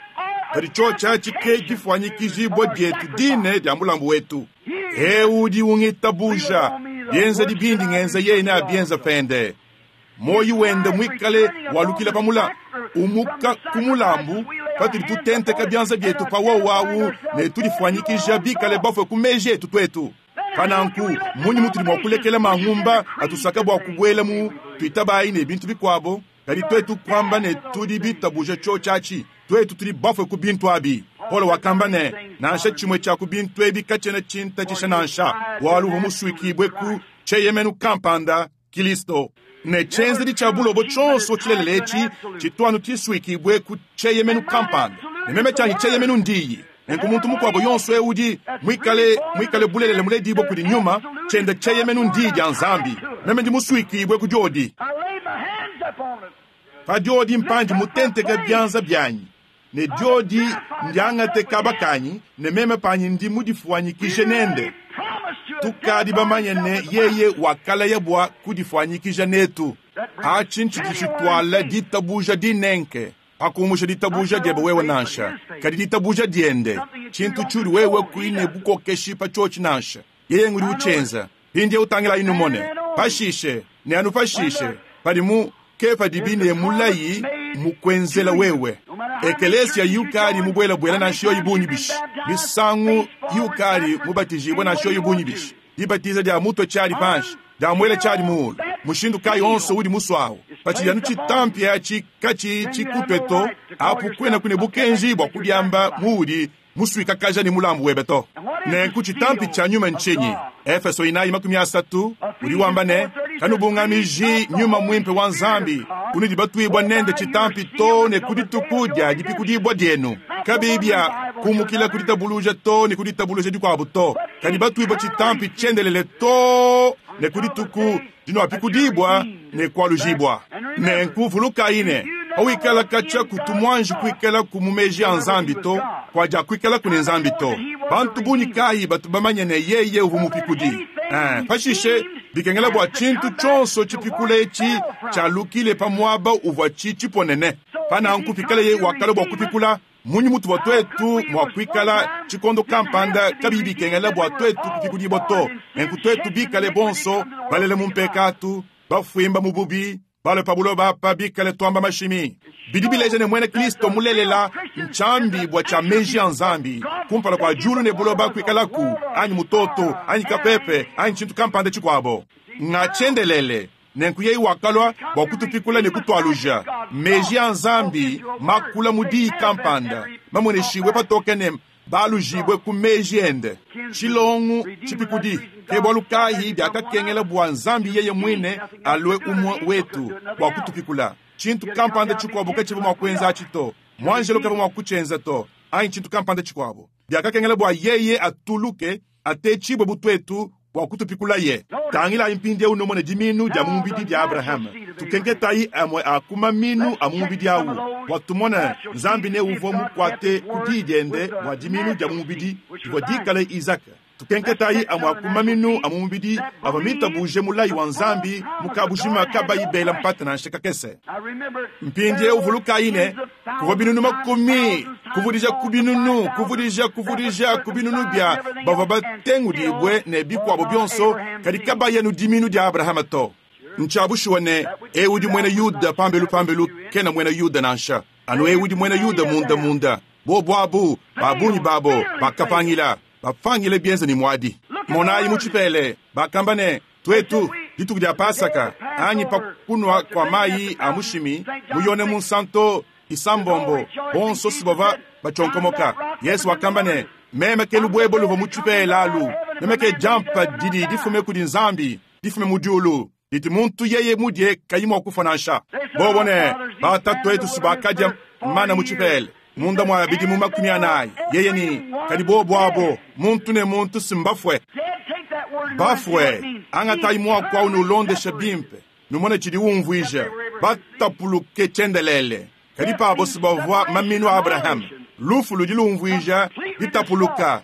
Kadi cyoci aci ke difwanyikijibwa dyetu dine dya mulambu wetu. Eu udi ungitabuja, byenzedi bindi ngenza yeye neabyenze pende. Muoyo wende muikale walukila pa mula, umuka ku mulambu, patudi tutenteka bianza bietu pa wowo awu ne tudifwanyikija bikale bafue ku meji etu tuetu. Pa nanku, mmunyi mutudi mua kulekela mangumba atusaka bua kubuela mu tuitabayi ne bintu bikuabo, kadi tuetu kuamba ne tudi bitabuja cioci aci? Tuetu tudi bafue ku bintu abi. Paulo wakamba ne, Nansha tshimue tshia ku bintu ebi katshiena tshintatshisha nansha, bualu uvua musuikibue ku tshieyemenu kampanda, Kilisto. Ne tshienzedi tshia bulobo tshionso tshilelela etshi tshitu anu tshisuikibue ku tshieyemenu kampanda. Ne meme tshianyi tshieyemenu ndiyi. Nenku muntu mukuabo yonso eu udi muikale, muikale bulelela muledibue kudi Nyuma, tshiende tshieyemenu ndiyi dia Nzambi. Meme ndi musuikibue ku diodi. Pa diodi mpandi mutenteke bianza bianyi, ne diodi ndiangate kaba kanyi, ne meme panyi ndi mudifuanyikije nende. Tukadi bamanye ne, yeye wakalaya bua kudifuanyikija netu. Atshi ntshidi tshituala ditabuja dinenke, pa kumusha ditabuja diebe wewe nansha, kadi ditabuja diende, tshintu tshiudi wewe kuyi ne bukokeshi pa tshiotshi nansha. Yeye ngudi utshienza. Mpindieu tangilayi numone. Pashishe, ne anu pashishe, padi mu ke padibi ne mulayi mukuenzela wewe. Ekeleesiya yukadi mubwelabwela nansha yoyi bungi bishi, misangu yukadi mubatijibwe nansha yoyi bungi bishi, dibatiza dya mutwe cyadi panshi, dya mwela cyadi muulu, mushindu kayi onso udi muswawu, pacidi anu citampi aci kaciyi cikutwe to, apu kwenaku ne bukenji bwa kudyamba muudi muswikakaja ne mulambu webe to. Nenku citampi cya nyuma ncinyi? Efeso 4:30 udi wamba ne, Kanubungamiji Nyuma Mwimpe wa Nzambi, unudi batwibwa nende citampi too ne ku dituku dya dipikudibwa dyenu. Kabiyi bya kumukila ku ditabuluja too ne ku ditabuluja dikwabo to. kadi batuibua tshitampi tshiendelele too ne ku dituku dinuapikudibua ne kualujibua. Nenku vulukayi ne, pawikala katshia kutu muanji kuikalaku mu meji a Nzambi to, kuadiakuikalaku ne Nzambi to. Bantu bungi kayi batu bamanye ne yeye uvua mupikudi? Ee, pashishe bikengela bua tshintu tshionso tshipikula etshi tshialukile pa muaba uvuatshi tshiponene. Pa nanku pikaleye wakalua bua kupikula, mmunyi mutuvua tuetu mua kuikala tshikondo kampanda kabiyi bikengela bua tuetu kupikudibua to? Nenku tuetu bikale bonso balele mu mpekatu, bafuimba mu bubi, balue pa buloba apa bikale tuamba mashimi, bidi bileja ne muena Kristo mulelela ntshiambibua tshia meji a Nzambi kumpala kua diulu ne buloba kuikalaku, anyi mutoto, anyi kapepe, anyi tshintu kampanda tshikuabo. Nga tshiendelele. Nenku yeye wakalua bua kutupikula ne kutualuja. Meji a Nzambi makula mu diyi kampanda, mamueneshibue patoke ne baalujibue ku meji ende. Tshilongu tshipikudi. Ke bualu kayi biakakengela bua Nzambi yeye muine alue umue wetu bua kutupikula. Tshintu kampanda tshikuabo katshivua mua kuenza atshi to. Muanjelo kavua mua kutshienza to, anyi tshintu kampanda tshikuabo. Biakakengela bua yeye atuluke, atetshibue bu tuetu, bua kutupikulaye. Tangilayi mpindieu numone dimiinu dia mu mubidi dia Abrahama. Tukenketayi amue a ku mamiinu a mu mubidi au bua tumone Nzambi ne uvua mukuate ku diyi diende bua dimiinu dia mu mubidi divua dikale Izaka. Tukenketayi amue a ku maminu a mu mubidi avua mitabuje mulayi wa Nzambi mu kabujima kabayi bela mpata nansha kakese. Mpindieu vulukayi ne, kuvua binunu makumi kuvudija ku binunu kuvudija kuvudija ku binunu bia bavua batengudibue ne bikuabo bionso, kadi kabayi anu diminu dia Abrahama to. Ntshia bushuwa ne, eu udi muena Yuda pambelu pambelu kena muena Yuda nansha, anu eu udi muena Yuda munda munda. Bobu abu, ba bungi babo bakapangila, bapangile bienza ne muadi. Monayi mu tshipele, bakamba ne, Tuetu, dituku dia Pasaka, anyi pa kunua kua mayi a mushimi, mu Yone Munsanto isambombo, bonso si bavua batshionkomoka. Yesu wakamba ne, Meme ke lubuebo luvua mu tshipela alu, meme ke diampa didi difume kudi Nzambi, difume mu diulu, didi muntu yeye mudie kayi mua kufua nansha. Bobo ne, Batatuetu si bakadia mana mu tshipela munda mua bidimu 40, yeye ne, kadi bobo abo, muntu ne muntu si mbafue. Bafue, angatayi muaku au nulondeshe bimpe, numone tshidi umvuija, batapuluke tshiendelele. Kadi pabo si bavua maminu a Abrahama. Lufu ludi lumvuija ditapuluka,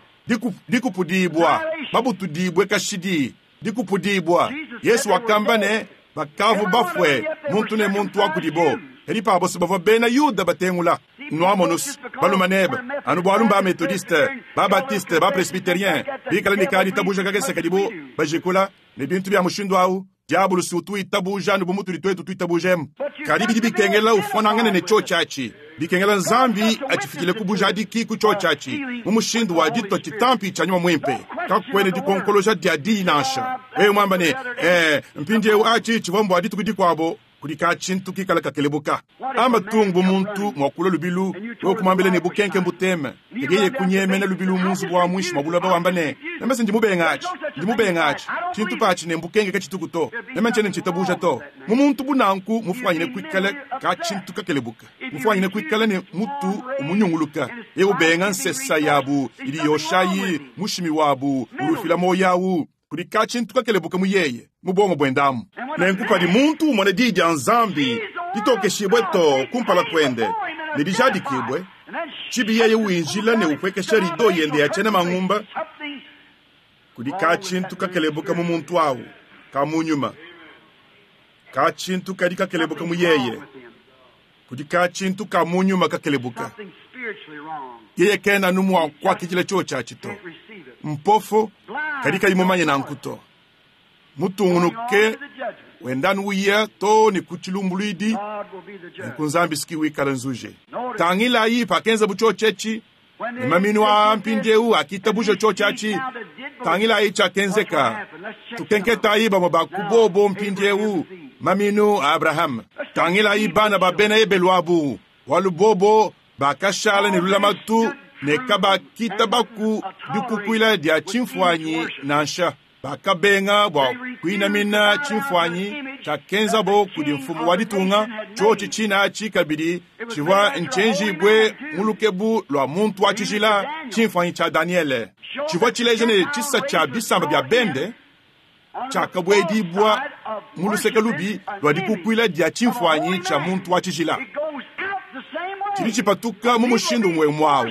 dikupudibua, babutudibue kashidi, dikupudibua. Yesu wakamba ne, bakavua bafue, muntu ne muntu wa kudibo. Kadi pabo si bavua bena Yuda batengula. Nuamonus, balume nebe, anu bualu mba Methodiste, ba Baptiste, ba Presbyterien, bikale ne ka ditabuja kakese kadibo bajikula, ne bintu bia mushindu au, Diabolo si utu witabuja anu bu mutudi tuetu tuitabuja emu. Kadi bidi bikengela ufuanangane ne tshiotshi atshi. Bikengela Nzambi atshifikile ku bujadiki ku tshiotshi atshi, mu mushindu wa ditua tshitampi tshia Nyuma Muimpe. Kakuena dikonkoloja dia diyi nansha. Wewe muamba ne, Ee, mpindieu atshi tshivua mbua dituku dikuabo, kudi ka-tshintu kikala kakelebuka. Amba tung bu muntu mua kulua lubilu, wewe kumuambila ne, Bukenke mbuteme. Kadi yeye kunyemena lubilu mu nzubu wa muinshi mua buloba wamba ne, Meme se ndi mubenga atshi, ndi mubenga atshi. Tshintu patshi ne mbukenke katshituku to. Meme ntshiena ntshitabuja to. Mu muntu bu nanku mufuanyine kuikala ka-tshintu kakelebuka, mufuanyine kuikala ne mutu umunyunguluka, yeye ubenga nsesa yabu idi yoshayi mushimi wabu udi ufila muoyo au. Kudi ka-tshintu kakelebuka mu yeye, mu buongo buende amu. Nenku padi muntu umona Diyi dia Nzambi ditokeshibue too kumpala kuende ne dijadikibue, tshibi yeye winjila ne upuekesha rido yende ya tshiena mangumba, kudi ka-tshintu kakelebuka mu muntu au, ka mu nyuma. Ka-tshintu kadi kakelebuka mu yeye. Kudi ka-tshintu ka mu nyuma kakelebuka. Yeye kena anu mua kuakidila tshiotshi atshi to. Mpofo, kadi kayi mumanye nanku to. Mutungunuke wenda anu uya too ne ku tshilumbuluidi, nenku Nzambi si ki wikala nzuje. Tangilayi pakenzabu tshiotshi etshi, ne maminu aa mpindieu akitabuja tshiotshi atshi. Tangilayi tshiakenzeka. Tukenketayi bamue ba ku bobo mpindieu, maminu a Abrahama. Tangilayi bana ba bena Ebelu abu, bualu bobo bakashala ne lulamatu ne kabakitabaku dikukuila dia tshimfuanyi nansha. Bakabenga bua kuinamina tshimfuanyi. Tshiakenzabo kudi mfumu wa ditunga, tshiotshi tshine atshi kabidi tshivua ntshienjibue mu lukebu lua muntu wa tshijila, tshimfuanyi tshia Danyele. Tshivua tshileja ne, tshisa tshia bisamba bia bende tshiakabuedibua mu luseke lubi lua dikukuila dia tshimfuanyi tshia muntu wa tshijila. Tshidi tshipatuka mu mushindu umue umue au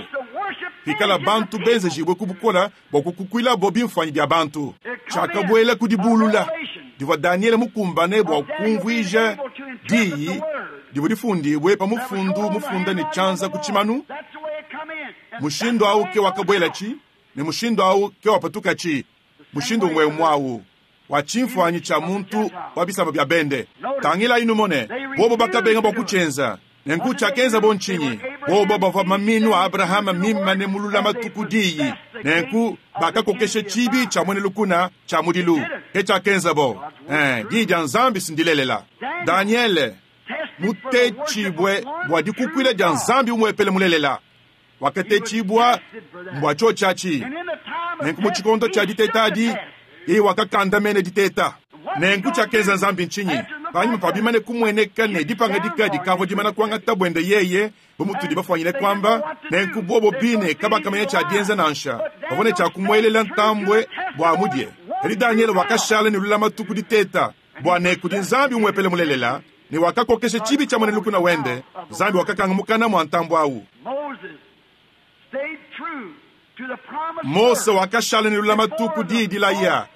pikala bantu benzejibue ku bukole bua kukukuilabo bimfuanyi bia bantu. Tshiakabuela ku dibulula divua Danyele mukumbane bua kumvuija diyi divua difundibue pa mufundu mufunda ne tshianza ku tshimanu. Mushindu au ke wakabuelatshi ne mushindu au ke wapatukatshi, mushindu umue umue au wa tshimfuanyi tshia muntu wa bisamba bia bende. Tangilayi numone, bobo bakabenga bua kutshienza. Nenku tshiakenzabo ntshinyi? Bobo bavua maminu a Abrahama mimane mu lulamatu ku diyi. Nenku bakakokesha tshibi tshia muena lukuna tshia mudilu. Ke tshiakenzabo. Ee, diyi dia Nzambi si ndilelela. Danyele, mutetshibue bua dikukuila dia Nzambi umuepele mulelela, wakatetshibua mbua tshiotshi atshi. Nenku mu tshikondo tshia diteta adi, yeye wakakandamena diteta. Nenku tshiakenza Nzambi ntshinyi? Panyima pa bimane kumueneka ne dipangadika dikavua dimana kuangata buende yeye, bu mutudi bafuanyine kuamba, nenku bobo bine kabakamanya tshia dienza nansha. Bavua ne tshia kumuelela ntambue bua amudie. Kadi Danyele wakashala ne lulamatu ku diteta bua ne kudi Nzambi umuepele mulelela, ne wakakokesha tshibi tshia muena lukuna wende. Nzambi wakakanga mukana mua ntambue au. Mose wakashala ne lulamatu ku diyi dilaya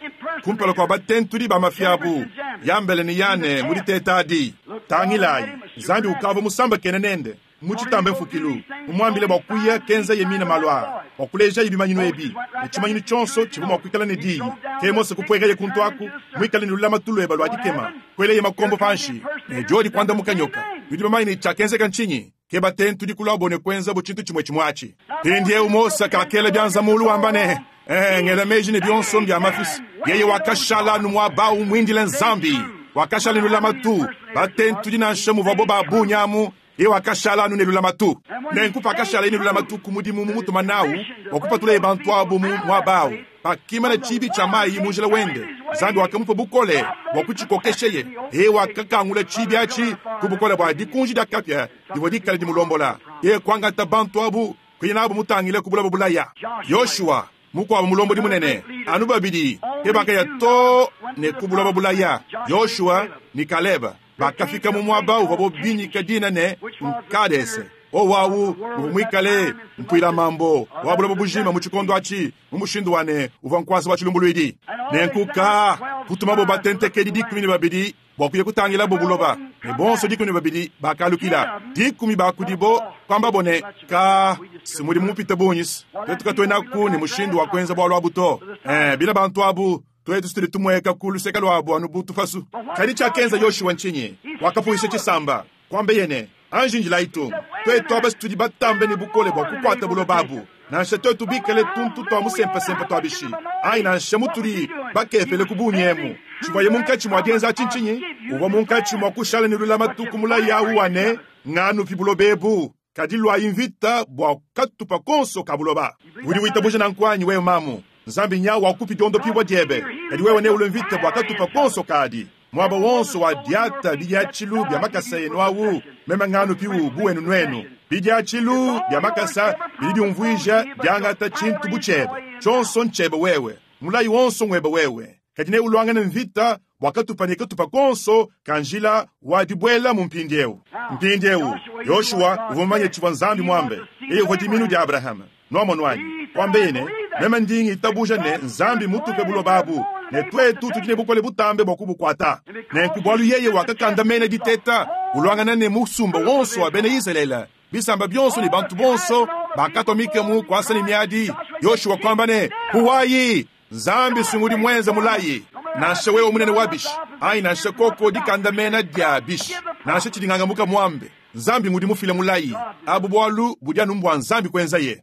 kumpala kua batentudi ba mafi abu, Yambele ne Yane, mu diteta adi. Tangilayi, Nzambi ukavua musambakene nende mu tshitambe mfukilu, mumuambile bua kuya kenzaye mine malu aa, bua kulejaye bimanyinu ebi, ne tshimanyinu tshionso tshivua mua kuikala ne diyi. Ke Mose kupuekaye kuntu aku, muikale ne lulamatu lueba lua dikema, kueleye makombo panshi, ne diodi kuandamuka nyoka. Nudi bamanye ne, tshiakenzeka ntshinyi? Ke batentudi kuluabo ne kuenzabo tshintu tshimue tshimue atshi. Mpindieu Mose kakela bianza muulu wamba ne, Ee, ngela meji ne bionso mbia mafisi. Yeye wakashala anu muaba au muindile Nzambi. Wakashala ne lulamatu. Batentudi nansha muvuabo ba bungi amu, yeye wakashala anu ne lulamatu. Nenku pakashalaye ne lulamatu ku mudimu mumutuma nawu bua kupatulaye bantu abu mu muaba au, Pakimana tshiibi tshia mayi mu njila wende, Nzambi wakamupa bukole bua kutshikokesheye. Yeye wakakangula tshiibi atshi ku bukole bua dikunji dia kapia divua dikale dimulombola. Yeye kuangata bantu abu kuya nabu mutangile ku buloba bulaya. Yoshua, mukuabu mulombodi munene, anu babidi ke bakaya too ne ku buloba bulaya, Yoshua ne Kaleba. Bakafika mu muaba uvuabo binyika dina ne, Nkadese. Wowu au uvua muikale mpuila-mambo wa buloba bujima mu tshikondo atshi, mu mushindu wa ne, uvua nkuasa wa tshilumbuluidi. Nenku ka kutumabo batentekedi 12 bua kuya kutangilabo buloba, ne bonso 12 bakalukila. Dikumi ba kudibo kuambabo ne, Ka, si mudimu mupite bungi, tuetu katuenaku ne mushindu wa kuenza bualu abu to. Ee, bina bantu abu Tuetu tudi tumueka ku luseke luabu anu bu tupasu. Kadi tshiakenza Yoshua ntshinyi? Wakapuwisha tshisamba, kuambeye ne, Anji njilayi tung! Tuetu aba tudi batambe ne bukole bua kukuata buloba abu, nansha tuetu bikale tuntu tua musempasempa tua bishi, anyi nansha mutudi bakepele ku bungi emu. Tshivuaye munkatshi mua dienza atshi ntshinyi? Uvua munkatshi mua kushala ne lulamatu ku mulayi au wa ne, Nganupi buloba ebu. Kadi luayi mvita bua katupa konso ka buloba. Udi witabuja nanku anyi wewe mamu? Nzambi nya wakupi diondopibua diebe, kadi wewe neulue mvita bua katupa konso kadi. Muaba wonso wa diata bidiatshilu bia makasa enu au, meme nganupiwu bu wenu nuenu. Bidiatshilu bia makasa bidi biumvuija diangata tshintu bu tshiebe. Tshionso ntshiebe wewe. Mulayi wonso nguebe wewe. Kadi neuluangane mvita bua katupa ne katupa konso ka njila wa dibuelamu mpindieu. Mpindieu, Yoshua uvua mumanye tshivua Nzambi muambe. Yeye uvua dimiinu dia Abrahama. Nuamonu anyi? Kuambeye ne, Meme ndi ngitabuja ne, Nzambi mmutupe buloba abu, ne tuetu tudi ne bukole butambe bua kubukuata. Nenku bualu yeye wakakandamena diteta, uluangana ne musumba wonso wa bena Izalele, bisamba bionso ne bantu bonso bakatua mikemu kuasa ne miadi, Yoshua kuamba ne, Puwayi! Nzambi si ngudi muenze mulayi, nansha wewe munene wa bishi, anyi nansha koko dikandamena dia bishi, nansha tshidi ngangamuka muambe. Nzambi ngudi mufile mulayi. Abu bualu budi anu mbua Nzambi kuenzaye.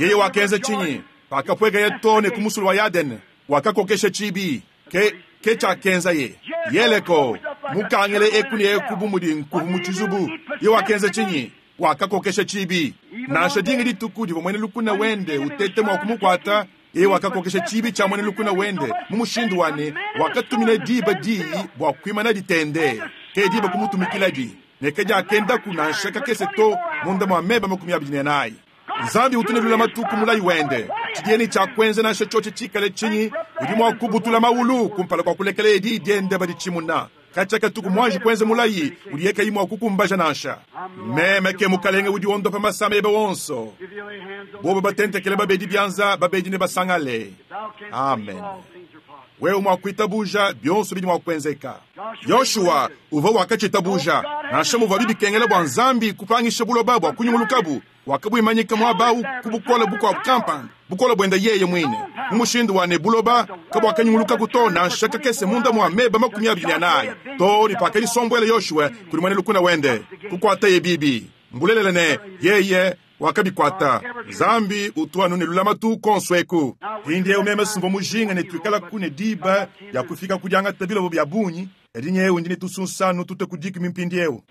Yeye wakenza tshinyi pakapuekaye too ne ku musulu wa Yadene? Wakakokesha tshibi. Ke, ke tshiakenzaye. Yeleko, mukangile eku ne eku bu mudi nkuvu mu tshizubu. Yeye wakenza tshinyi? Wakakokesha tshibi. Nansha dinga dituku divua muena lukuna wende uteta mua kumukuata, Yeye wakakokesha tshiibi tshia muena lukuna wende mu mushindu wa ne, wakatumina diba diyi bua kuimanadi tendee. Ke diba kumutumikiladi, ne kadiakendaku nansha kakese to munda mua meba 24. Nzambi utu ne lulamatu ku mulayi wende. Tshidiye ne tshia kuenza nansha tshiotshi tshikale tshinyi, udi mua kubutula mawulu kumpala kua kulekeleye diyi diende baditshimuna. Katshia katuku muanji kuenza mulayi udiye kayi mua kukumbaja nansha. Meme ke Mukalenge udi wondopa masama ebe onso. Bobo batentekele babedi bianza, babedi nebasangale. Amen. Wewe mua kuitabuja, bionso bidi mua kuenzeka. Yoshua uvua wakatshitabuja, nansha muvuabi bikengela bua Nzambi kupangisha buloba bua kunyungulukabu, wakabuimanyika muaba au ku bukole bukuabu kampanda, bukole buende yeye muine, mu mushindu wa ne, buloba kabuakanyungulukaku to nansha kakese munda mua meba 24, too ne pakadisombuela Yoshua kudi muena lukuna wende, kukuataye bibi. Mbulelela ne, yeye wakabikuata. Nzambi utu anu ne lulamatu kuonso eku. Mpindieu meme simvua mujinga ne tuikalaku ne diba dia kufika ku diangata bilobo bia bungi, kadi nyewu ndi ne tusunsanu tutue ku dikumi mpindieu.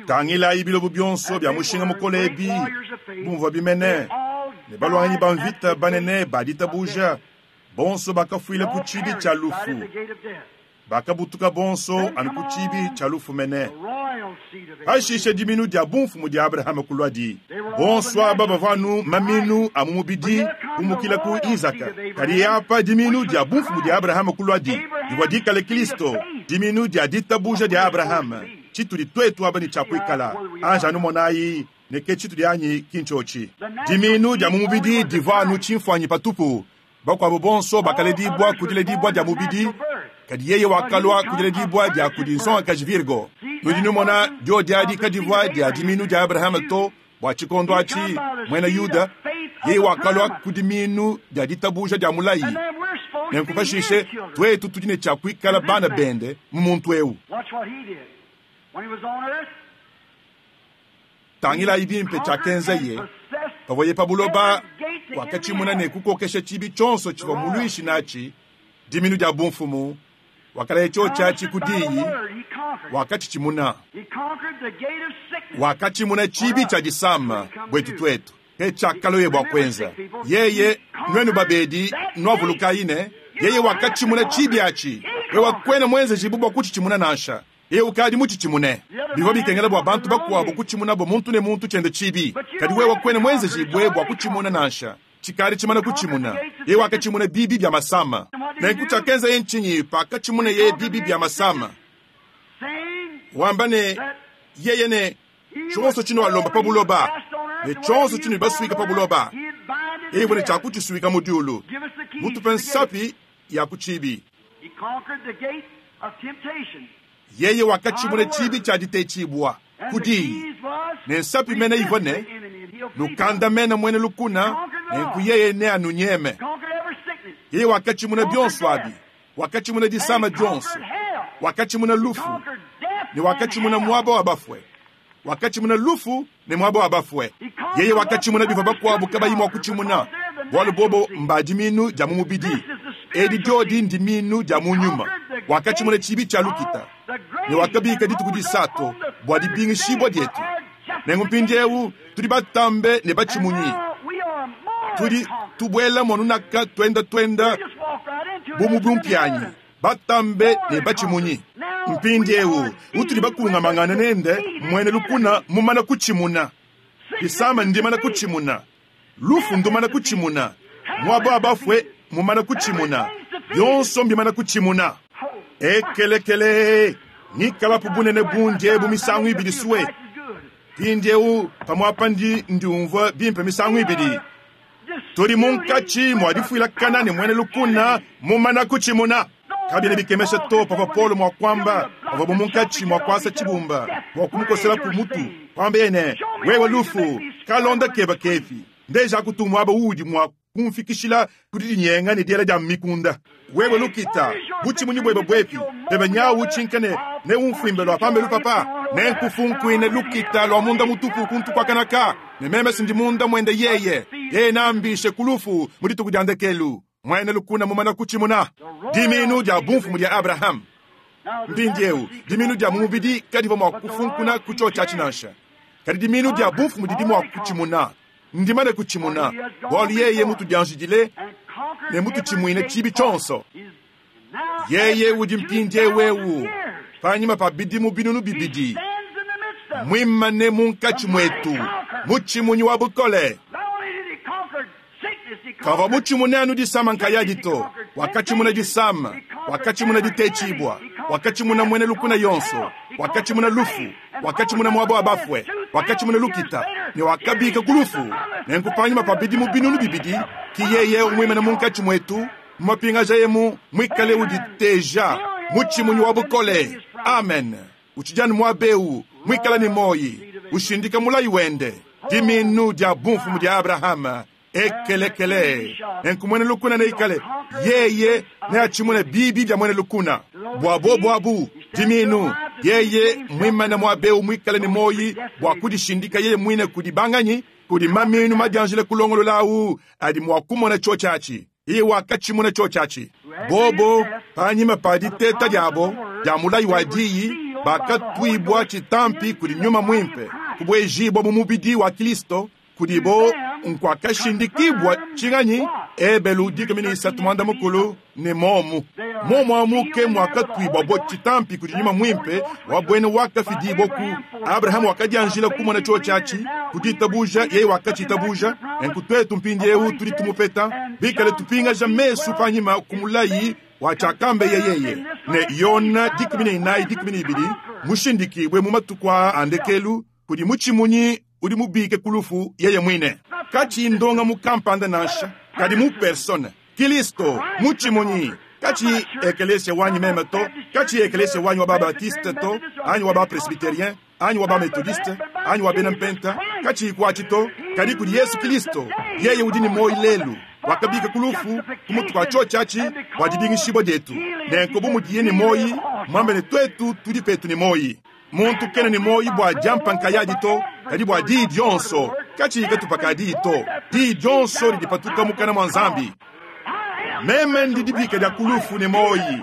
Tangilayi bilobo bionso bia mushinga mukole ebi, bu muvuabi mene, ne baluanganyi ba mvita banene ba ditabuja, bonso bakafuila ku tshibi tshia lufu. Bakabutuka bonso anu ku tshibi tshia lufu mene. Pashishe diminu dia bumfumu dia Abrahama kuluadi. Bonso aba bavua anu maminu a mu mubidi kumukila ku Izaka. Kadi apa diminu dia bumfumu dia Abrahama kuluadi, divua dikale Kristo, diminu dia ditabuja dia Abrahama, tshitudi tuetu aba ne tshia kuikala. Anji anu monayi ne ke tshitudi anyi ki ntshiotshi. Diminu dia mu mubidi divua anu tshimfuanyi patupu. Bakuabo bonso bakaledibua ku diledibua dia mubidi, kadi yeye wakalua ku diledibua dia kudi nsongakaji Virgo. Nudi numona, diodi adi kadivua dia diminu dia Abrahama to, bua tshikondo atshi, muena Yuda, yeye wakalua ku diminu dia ditabuja dia mulayi. Nenku pashishe, tuetu tudi ne tshia kuikala bana bende mu muntu eu. Tangilayi bimpe tshiakenzaye pavuaye pa buloba. Wakatshimuna ne kukokesha tshibi tshionso tshivua muluishi natshi, diminu dia bumfumu. Wakalaya tshiotshi atshi ku diyi, wakatshitshimuna. Wakatshimuna tshibi tshia disama buetu tuetu. Ke tshiakalueye bua kuenza yeye. Nuenu babedi, nuavulukayi ne, yeye wakatshimuna tshibi atshi. Wewe kuena muenzejibu bua kutshitshimuna nansha. Yeye ukadi mutshitshimune. Bivua bikengela bua bantu bakuabu kutshimunabo muntu ne muntu tshiende tshibi, kadi wewe kuena muenzejibue bua kutshimuna nansha. Tshikadi tshimana kutshimuna. Yeye wakatshimuna bibi bia masama. Nenku tshiakenzaye ntshinyi pakatshimuneye bibi bia masama? Wamba ne, yeye ne, tshionso tshinualomba pa buloba ne tshionso tshinudi basuika pa buloba, yeye uvua ne tshia kutshisuika mu diulu. Mutupe nsapi ya ku tshibi. Yeye wakatshimuna tshibi tshia ditetshibua ku diyi, ne nsapi mene ivua ne, Nukandamene muena lukuna, nenku yeye neanunyeme. Yeye wakatshimuna bionso abi. Wakatshimuna disama dionso, wakatshimuna lufu, ne wakatshimuna muaba wa bafue. Wakatshimuna lufu ne muaba wa bafue. Yeye wakatshimuna bivua bakuabu kabayi mua kutshimuna, bualu bobo mba diminu dia mu mubidi, edi diodi ndiminu dia mu nyuma. Wakatshimuna tshibi tshia lukita, ne wakabika dituku disatu bua dibingishibua dietu. Nenku mpindieu tudi batambe ne batshimunyi. Tudi tubuela muanunaka tuenda tuenda bu mu bumpianyi, batambe ne batshimunyi. Mpindieu utudi bakungamangane nende, muena lukuna mumana kutshimuna, disama ndimana kutshimuna, lufu ndumana kutshimuna, muaba wa bafue mumana kutshimuna, bionso mbimana kutshimuna. Ekelekele, ngikalapu bunene bundi ebu misangu ibidi sue. Mpindieu pamuapa ndi ndiumvua bimpe misangu ibidi. Tudi munkatshi mua difuilakana ne muena lukuna mumana kutshimuna. Kabiena bikemesha to pavua Paulo mua kuamba pavuabu munkatshi mua kuasa tshibumba bua kumukosela ku mutu, kuambaye ne, Wewe lufu, kalonda keba kepi, ndejaku tu muaba uudi mua kumfikishila ku didinyenga ne diela dia mikunda. Wewe lukita, butshimunyi buebe buepi? Pebe nyawu utshinka ne neumfuimbe lua pambelu papa, nenkufunkuine lukita lua munda mutupu kuntu kua kanaka, ne meme sindi munda muende yeye. Yeye neambishe ku lufu mu dituku dia ndekelu. Muena lukuna mumana kutshimuna diminu dia bumfumu dia Abrahame. Mpindieu, diminu dia mu mubidi kadivua mua kufunkuna ku tshiotshi atshi nansha, kadi diminu dia bumfumu didi mua kutshimuna. Ndimane kutshimuna, bualu yeye mutudianjidile ne mututshimuine tshibi tshionso. Yeye udi mpindieu eu panyima pa bidimu 2000, muimane munkatshi muetu, mutshimunyi wa bukole. Kavua mutshimune anu disama nkayadi to, wakatshimuna disama, wakatshimuna ditetshibua, wakatshimuna muena lukuna yonso, wakatshimuna lufu, wakatshimuna muaba wa bafue, wakatshimuna lukita, ne wakabika ku lufu. Nenku panyima pa bidimu 2000, ki yeye umuimane munkatshi muetu, mumapingajayemu muikale uditeja mutshimunyi wa bukole. Amen. Utshidi muaba eu muikale ne moyi, ushindika mulayi wende, diminu dia bumfumu dia Abrahama. Ekelekele nenku muena lukuna neikale yeye neatshimune bibi bia muena lukuna. Bua bobu abu diminu, yeye muimane muaba eu muikale ne moyi bua kudishindika yeye muine kudi banganyi, kudi maminu madianjile kulongolola awu adi mua kumona tshiotshi. Iye wakatshimuna tshiotshi. Bobo panyima pa diteta diabo dia mulayi wa diyi, bakatuibua tshitampi kudi nyuma mwimpe, kubuejibua mu mubidi wa Kristo, kudibo nkuakashindikibwa tshinganyi Ebelu 13 mwanda mukulu ne momu. Momu amu ke mwakatuibwa bo tshitampi kudi nyuma mwimpe wa bwene wakafidibwa ku Abrahamu wakadianjila kumona tshiotshi kuditabuja, yeye wakatshitabuja. Nenku twetu mpindieu tudi tumupeta bikale tupingaja mesu panyima ku mulayi wa tshiakambe yeyeye ne Yona 14 12 mushindikibwe mu matuku a ndekelu kudi mutshimunyi udi mubike ku lufu yeye mwine. Kachi ndonga mu kampanda nansha, kadi mu persona Kristo mutshimunyi. Kachi ekelesia wanyi meme to, kachi ekelesia wanyi wa ba-baptiste to, anyi wa ba-presbyterien, anyi wa ba-methodiste, anyi wa bena mpenta, kachi kuachi to, kadi kudi Yesu Kristo, yeye udi ne moyi lelu, wakabika ku lufu ku mutu kwa tshiotshi bua dibingishibua dietu. Nenku bu mudiye ne moyi, mwambe ne twetu tudi petu ne moyi. Muntu kena ne moyi bua diampa nkayadi to, kadi bua diyi dionso, kachi katupa diyi to, diyi dionso lidipatuka mukana mwa Nzambi. Meme ndi dibika dia kulufu ne moyi.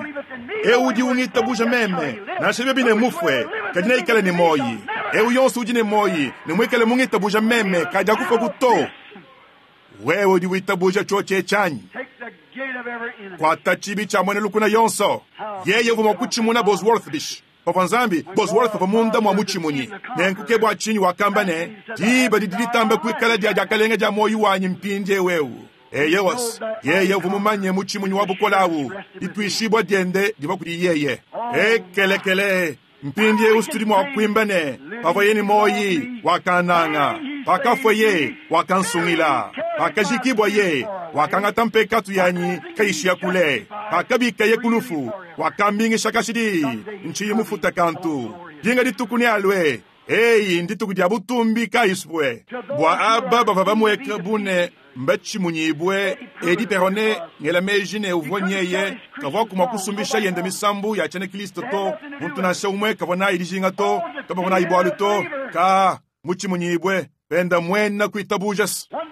Eu udi ungitabuja meme, nansha bibi ne mufue, kadi neikale ne moyi. Eu yonso udi ne moyi, ne muikale mungitabuja meme, kadi akufa kuto. Wewe udi witabuja tshiotshi tshanyi. Kwata tshibi tshia muena lukuna yonso. Yeye uvua mua kutshimuna Bosworth bishi. Pavua Nzambi Bosworth pavua munda mwa mutshimunyi. Nenku ke bua tshinyi wakamba ne, diba didi ditamba kuikala dia diakalenga dia moyi wanyi mpindiewu eu. Eyewas, yeye uvua mumanye mutshimunyi wa bukole awu, dituishibua diende divua kudi yeye. Ekelekele, mpindiewu tudi mua kuimba ne, pavua ye ne moyi wakananga, pakafua ye wakansungila, pakajikibua ye wakangata mpekatu yanyi kayishia kule, pakabika ye kulufu wakambingisha kashidi, ntshiyi mufuta kantu. Dinga dituku ne alue, eyi ndituku dia butumbi kayisupue. Bua aba bavua bamueka bune mbatshimunyibwe, Eddie Perronet ngela meji ne uvua nyeye kavua kumua kusumbisha yende misambu ya tshiena Kristo to, muntu nansha umwe kavua nayi dijinga to, kabavua nayi bualu to, ka mutshimunyibwe penda mwena kuitabuja.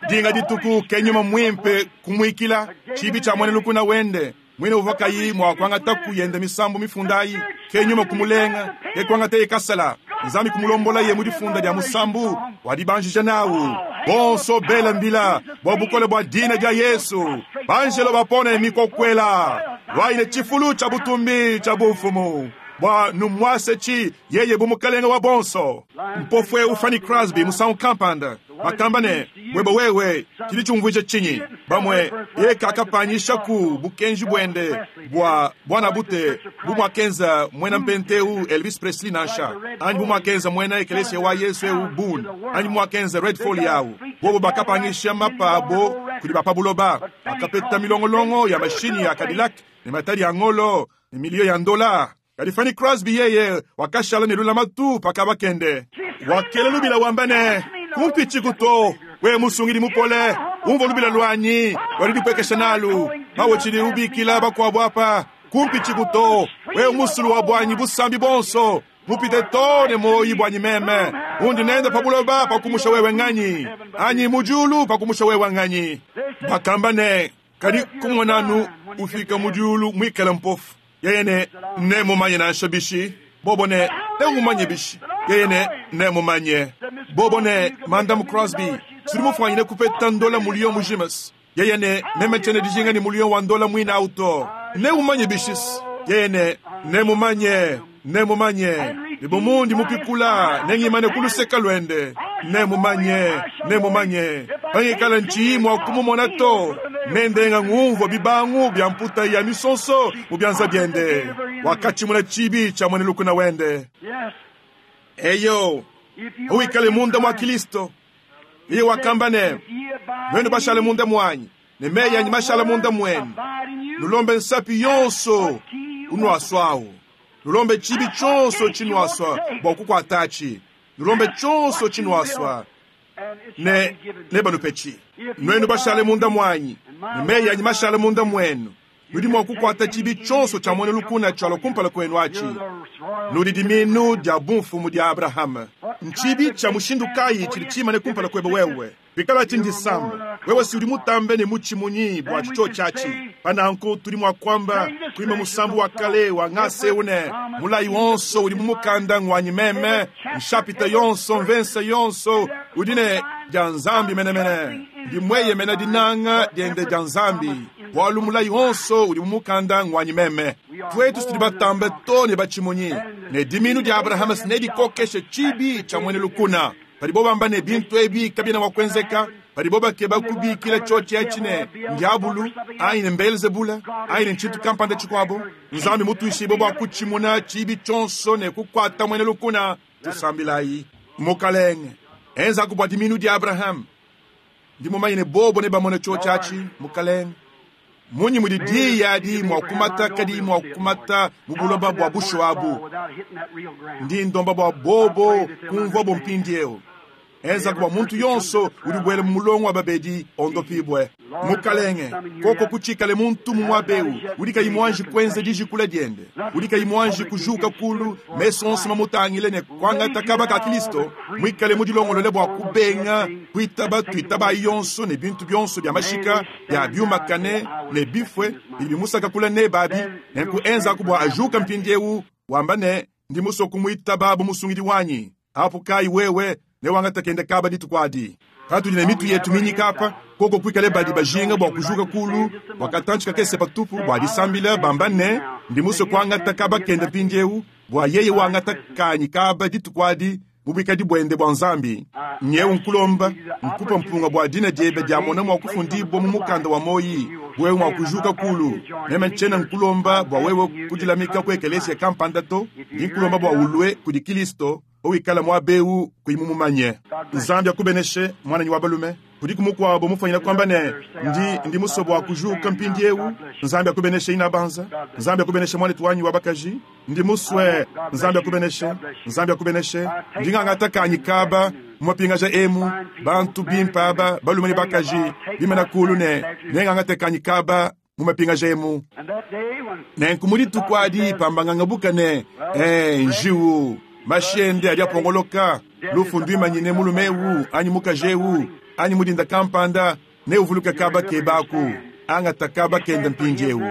Dinga dituku ke nyuma mwimpe kumuikila tshibi tshia muena lukuna wende, mwine uvua kayi mua kuangata yende misambu mifundayi, ke nyuma kumulenga, ke kuangata ye kasala, Nzambi kumulombola ye mu difunda dia musambu wadibanjija nawu. Bonso bela mbila bua bukole bua dina dia Yesu, banjelo bapone mikokwela lwaine tshifulu tshia butumbi tshia bumfumu bua numwase tshi yeye bu mukalenga wa bonso. Mpofwe Fanny Crosby musangu kampanda bakamba ne, bweba wewe tshidi tshiumvuija tshinyi? Bamwe ye kakapanyisha ku bukenji bwende bua bwana bute bu mwakenza mwena mpenteu Elvis Presley nansha, anyi bu mwakenza mwena ekelesia wa Yesu eu Boone, anyi mwakenza Red Foley yawu. Bobo bakapanyisha mapa abo kudi bapabuloba, bakapeta milongolongo ya mashini ya Cadillac ne matadi ya ngolo ne milio ya ndola. Kadi Fanny Crosby yeye wakashala ne lulamatu pakabakende. Wakela lubila wamba ne, kumpichi kuto, we musungidi mupole, umva lubila lwanyi, walidipwekesha nalu, bawe chili ubikila bakwabo apa, kumpichi kuto, we musulu wa bwanyi busambi bonso, mupite to ne moyi bwanyi meme, undi nenda pabuloba pakumusha wewe nganyi, anyi mujulu pakumusha wewe nganyi. Bakamba ne, kadi kumwananu ufika mujulu mwikala mpofu. Yeye ne ne mumanye nansha bishi, bobo ne ne mumanye bishi. Yeye ne ne mumanye. Bobo ne Madam Crosby. Sudi mufwanyine kupeta ndola muliyo mujimas. Yeye ne, meme tshiena dijinga ne muliyo wa ndola muine awu to. Neumanye bishis. Yeye ne, nemumanye, nemumanye. Ne bu mundi mupikula, nengimane ku luseka luende. Nemumanye, nemumanye. Pangikala ntshiyi mua kumumona to, nendenga ngumvua bibangu bia mputa ya misonso mu bianza biende. Wakatshimuna tshibi tshia muena lukuna wende. Eyo, wikale munda mua Kilisto. Yeye wakamba ne, nuenu bashale munda muanyi, ne meyi anyi mashale munda muenu. Nulombe nsapi yonso unuaswawu. Nulombe tshibi tshionso tshinuaswa bua kukuatatshi. Nulombe tshionso tshinuaswa ne nebanupetshi. Nuenu bashale munda muanyi, ne meyi anyi mashale munda muenu. Nudi mua kukuata tshibi tshionso tshia muena lukuna tshialua kumpala kuenu atshi. Nudi diminu dia bumfumu dia Abrahama. Ntshibi tshia mushindu kayi tshidi tshimane kumpala kuebe wewe? Bikalatshi ndisamba, wewe si udi mutambe ne mutshimunyi bua tshitshio tshiatshi. Pa nanku tudi mua kuamba kuimba musambu wa kale wa ngasa eu ne, mulayi wonso udi mu mukanda ngwanyi meme, nshapita yonso, mvensa yonso udi ne dia Nzambi menemene. Ndi mueyemena dinanga diende dia Nzambi, bualu mulayi wonso udi mu mukanda ngwanyi meme. Tuetu tudi batambe to ne batshimunyi, ne diminu dia Abrahama nedikokeshe tshibi tshia muena lukuna. Padibo bamba ne bintu ebi kabiena mua kuenzeka, padibo bakeba kubikila tshiotshi etshi ne ndiabulu anyi ne Mbelzebula anyi ne tshintu kampanda tshikuabo, Nzambi mutuishibue bua kutshimuna tshibi tshionso ne kukuata muena lukuna. Tusambilayi. Mukalenge, enzaku bua diminu dia Abrahama. Ndi mumanye ne bobo nebamone tshiotshi atshi, Mukalenge. Munyi mudi diyi adi mua kumata kadiyi mua kumata mu buloba bua bushuwa abu? Ndi ndomba bua bobo kumvuabo mpindieu. Enzaku bua muntu yonso udi ubuela mu mulongo wa babedi ondopibue. Mukalenge, koko kutshikale muntu mu muaba eu udi kayi muanji kuenza dijikula diende, udi kayi muanji kujuka kulu, mesu onso mamutangile ne kuangata kaba ka Kilisto, muikale mudilongolole bua kubenga kuitaba tuitabayi yonso ne bintu bionso bia mashika bia biumakane ne bifue bidi bimusaka kule nebe abi. Nenku enzaku bua ajuka mpindieu wamba ne, Ndi musue kumuitaba bu musungidi wanyi. Apu kayi wewe newangate kende kaba dituku adi. Patudi ne mitu yetu minyika apa, koko kuikale badi bajinga bua kujuka kulu bua katantshi kakese patupu bua disambila, bamba ne, Ndi musue kuangata kaba kende mpindieu, bua yeye wangata kanyi kaba dituku adi mu buikadi buende bua Nzambi. Nyeu nkulomba, nkupa mpunga bua dina diebe diamona mua kufundibua mu mukanda wa muoyi, wewe mua kujuka kulu. Meme ntshiena nkulomba bua wewe kudilamika ku ekelesia kampanda to, ndi nkulomba bua ulue kudi Kilisto pawikala muaba eu kuyi mumumanye. Nzambi akubeneshe, muananyi wa balume. Kudiku mukuabo mufwanyine kuamba ne, Ndi, ndi musue bua kujuka mpindieu? Nzambi akubeneshe, inabanza. Nzambi akubeneshe, muanetu wanyi wa bakaji. Ndi musue. Nzambi akubeneshe. Nzambi akubeneshe. Ndi ngangata kanyi kaba mu mapingaja emu, bantu bimpe aba, balume ne bakaji, bimana kulu ne nengangate kanyi kaba mu mapingaja emu. Nenku mu dituku adi pambangangabuka ne, ee, njiwu, mashi ende adi apongoloka, lufu nduimanyine mulume eu anyi mukaji eu, anyi mu dinda kampanda, neuvuluke kaba kebe aku. Angata kaba kende mpindieu.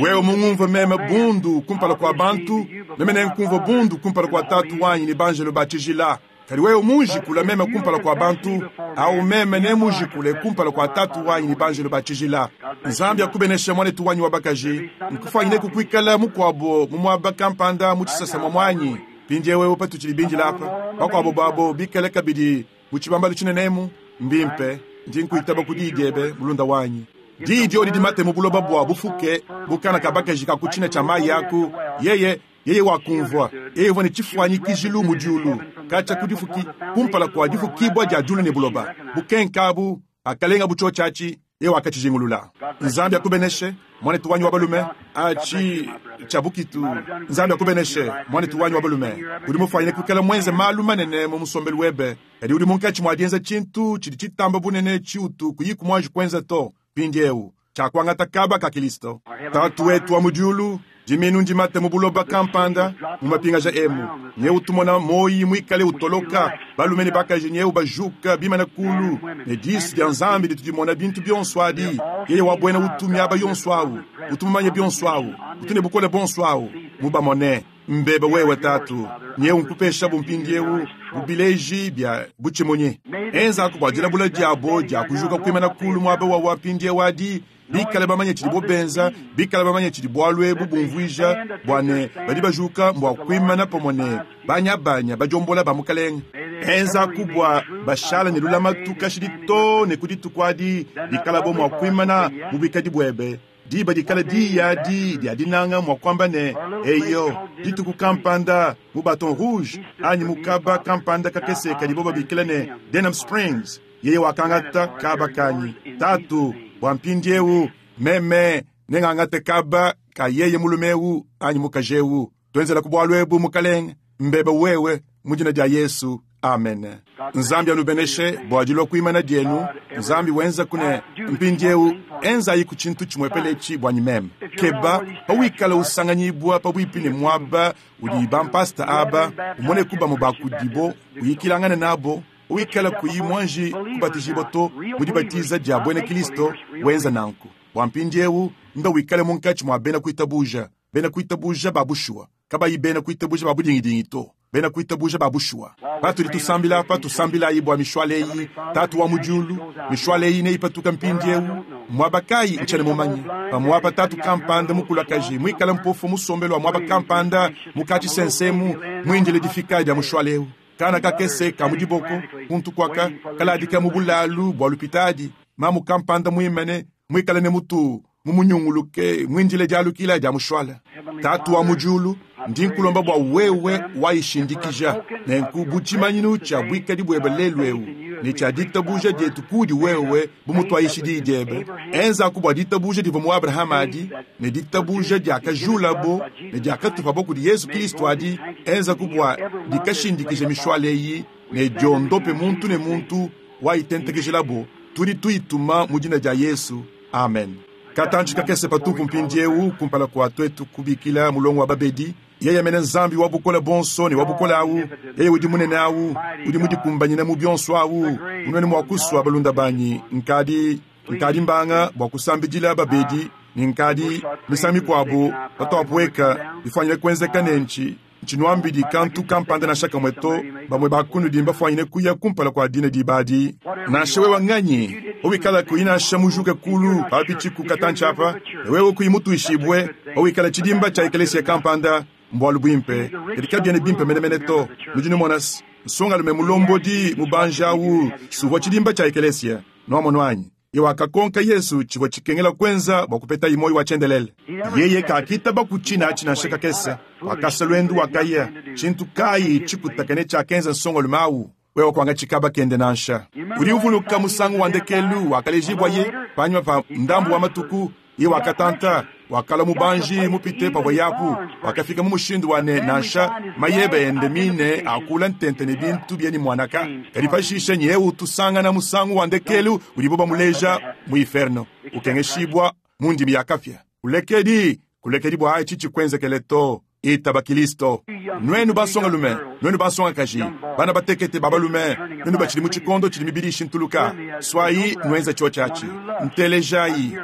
Wewe mungumvue meme bundu kumpala kua bantu, meme nenkumvue bundu kumpala kua Tatu wanyi ne banjelo ba tshijila. Kadi wewe munjikula meme kumpala kua bantu, au meme nemujikule kumpala kua Tatu wanyi ne banjelo ba tshijila. Nzambi akubeneshe, muanetu wanyi wa bakaji. Nkufuanyineku kuikala mukuabo mu muaba kampanda mu tshisasa muamuanyi mpindieu eu patutshidi bindile apa, bakuabo babo bikale kabidi mu tshibambalu tshinene emu. Mbimpe, ndi nkuitaba ku diyi diebe, mulunda wanyi. Diyi diodi dimate mu buloba bua bufuke bu kana ka bakaji ka ku tshina tshia mayi aku, yeye Yeye wakumvua, yeye uvua ne tshifuanyikijilu mu diulu katshia ku difuki, kumpala kua difukibua dia diulu ne buloba. Bukenka abu, pakalengabu tshiotshi atshi, yeye wakatshijingulula. Nzambi akubeneshe, muanetu wanyi wa balume. Atshi tshia bukitu. Nzambi akubeneshe, muanetu wanyi wa balume. Udi mufuanyine kuikala muenze malu manene mu musombelu webe, kadi udi munkatshi mua dienza tshintu tshidi tshitamba bunene tshiutu kuyiku muanji kuenza to mpindieu, tshia kuangata kaba ka Kilisto. Tatu wetu wa mu diulu, diminu ndimate mu buloba kampanda mu mapingaja emu. Nyewu tumona muoyi muikale utoloka, balume ne bakaji nyewu bajuka bimana kulu, ne disu dia Nzambi ditu dimona bintu bionso adi. Yeye wa buena utu miaba yonso awu, utu mumanye bionso awu, utu ne bukole buonso awu, mubamone. Mbebe wewe, Tatu. Nyewu nkupeshabu mpindiewu bu bileji bia butshimunyi. Enzaku bua dilabula diabo dia kujuka kuimana kulu muaba wawa mpindiewu adi, bikale bamanye tshidibo benza, bikale bamanye tshidi bualu ebu bumvuija, bua ne badi bajuka mbua kuimana pamue ne banyabanya badiombola ba Mukalenge. Enzaku bua bashala ne lulamatu kashidi too ne ku dituku adi dikalabo mua kuimana mu buikadi buebe. Diba dikala diyi adi dia dinanga mua kuamba ne, Eyo, dituku kampanda mu Baton Rouge anyi mu kaba kampanda kakese kadibo babikila ne Denham Springs, yeye wakangata kaba kanyi, Tatu, bua mpindiewu meme nengangate kaba ka yeye mulume eu anyi mukaji eu. Tuenzelaku bualu ebu, Mukalenge, mbebe wewe, mu dina dia Yesu. Amen. Nzambi anubeneshe bua dilua kuimana dienu. Nzambi wenzaku ne mpindiewu enzayiku tshintu tshimuepele etshi buanyi meme. Keba pawikala usanganyibua pabuipi ne muaba udi bampasta aba, umoneku bamue ba kudibo, uyikilangane nabo. Pawikala kuyi muanji kubatijibua to mu dibatiza dia buena Kilisto, wenza nanku bua mpindiewu mbe wikale munkatshi mua bena kuitabuja, bena kuitabuja ba bushuwa, kabayi bena kuitabuja ba budingidingi to, bena kuitabuja ba bushuwa. Patudi tusambila apa, tusambilayi bua mishwala eyi. Tatu wa mu diulu, mishwala eyi neyipatuka mpindiewu muaba kayi? Ntshiena mumanye. Pamuapa tatu kampanda mukulakaji muikale mpofu musombelu wa muaba kampanda mu katshisensemu muindile difika dia mushwala eu. Kana kakese ka mu diboko kuntu kuaka kaladika mu bulalu bua lupitadi, mamu kampanda muimane muikale ne mutu mumunyunguluke muindile dialukila dia mushwala. Tatu wa mu diulu, ndi nkulomba bua wewe wayishindikija nenku bu tshimanyinu tshia buikadi buebe lelu eu ne tshia ditabuja dietu kudi wewe bu mutuayishi diyi diebe. Enzaku bua ditabuja divua mu Abrahama adi ne ditabuja diakajulabo ne diakatupabo kudi Yezu Kristo adi, enzaku bua dikashindikije mishwala eyi ne diondope muntu ne muntu wayitentekejelabo. Tudi tuyituma mu dina dia Yesu. Amen. Katantshi kakese patupu mpindiewu kumpala kua tuetu kubikila mulongo wa babedi, yeye mene Nzambi wa bukole buonso ne wa bukole awu, yeye udi munene awu, udi mudikumbanyine mu bionso awu, munuene mua kusua balunda banyi, nkadi nkadi mbanga bua kusambidila babedi ne nkadi misangu mikuabu patuapueka bifuanyine kuenzeka ne ntshi Ntshinuambidi kantu kampanda nansha kamue to. Bamue ba kunudi mbafuanyine kuya kumpala kua dine diba adi. Nansha wewe nganyi, pawikala kuyi nansha mujuke kulu papitshiku katantshi apa, ne wewe kuyi mutuishibue, pawikala tshidimba tshia ekelesia kampanda, mbualu buimpe, kadi kabiena bimpe menemene to. Nudi numona-s, nsongalume mulombodi mubanji awu s'uvua tshidimba tshia ekelesia. Nuamonu anyi? Ye wakakonka Yesu tshivua tshikengela kuenza bua kupetaye muoyo wa tshiendelele. Yeye kakitaba ku tshina atshi nansha kakese. Wakasa luendu wakaya. Tshintu kayi tshikutakane tshiakenza nsongalume au? Wewe kuangatshi kaba kende nansha. Udi uvuluka musangu wa ndekelu wakalejibuaye panyima pa ndambu wa matuku, Yeye wakatanta, wakalua mubanji mupite pavuaye apu. Wakafika mu mushindu wa ne, nansha mayeba ende mine akula ntente ne bintu bienyi muanaka. Kadi pashishe nyewu tusangana musangu wa ndekelu udibo bamuleja mu iferno, ukengeshibua mu ndimi ya kapia. Kulekedi, kulekedi bua etshi tshikuenzekele to. Itaba Kilisto. Nuenu bansongalume, nuenu bansongakaji, bana batekete ba balume, nuenu batshidi mu tshikondo tshidi mibidi ishintuluka, suayi nuenza tshiotshi atshi. Ntelejayi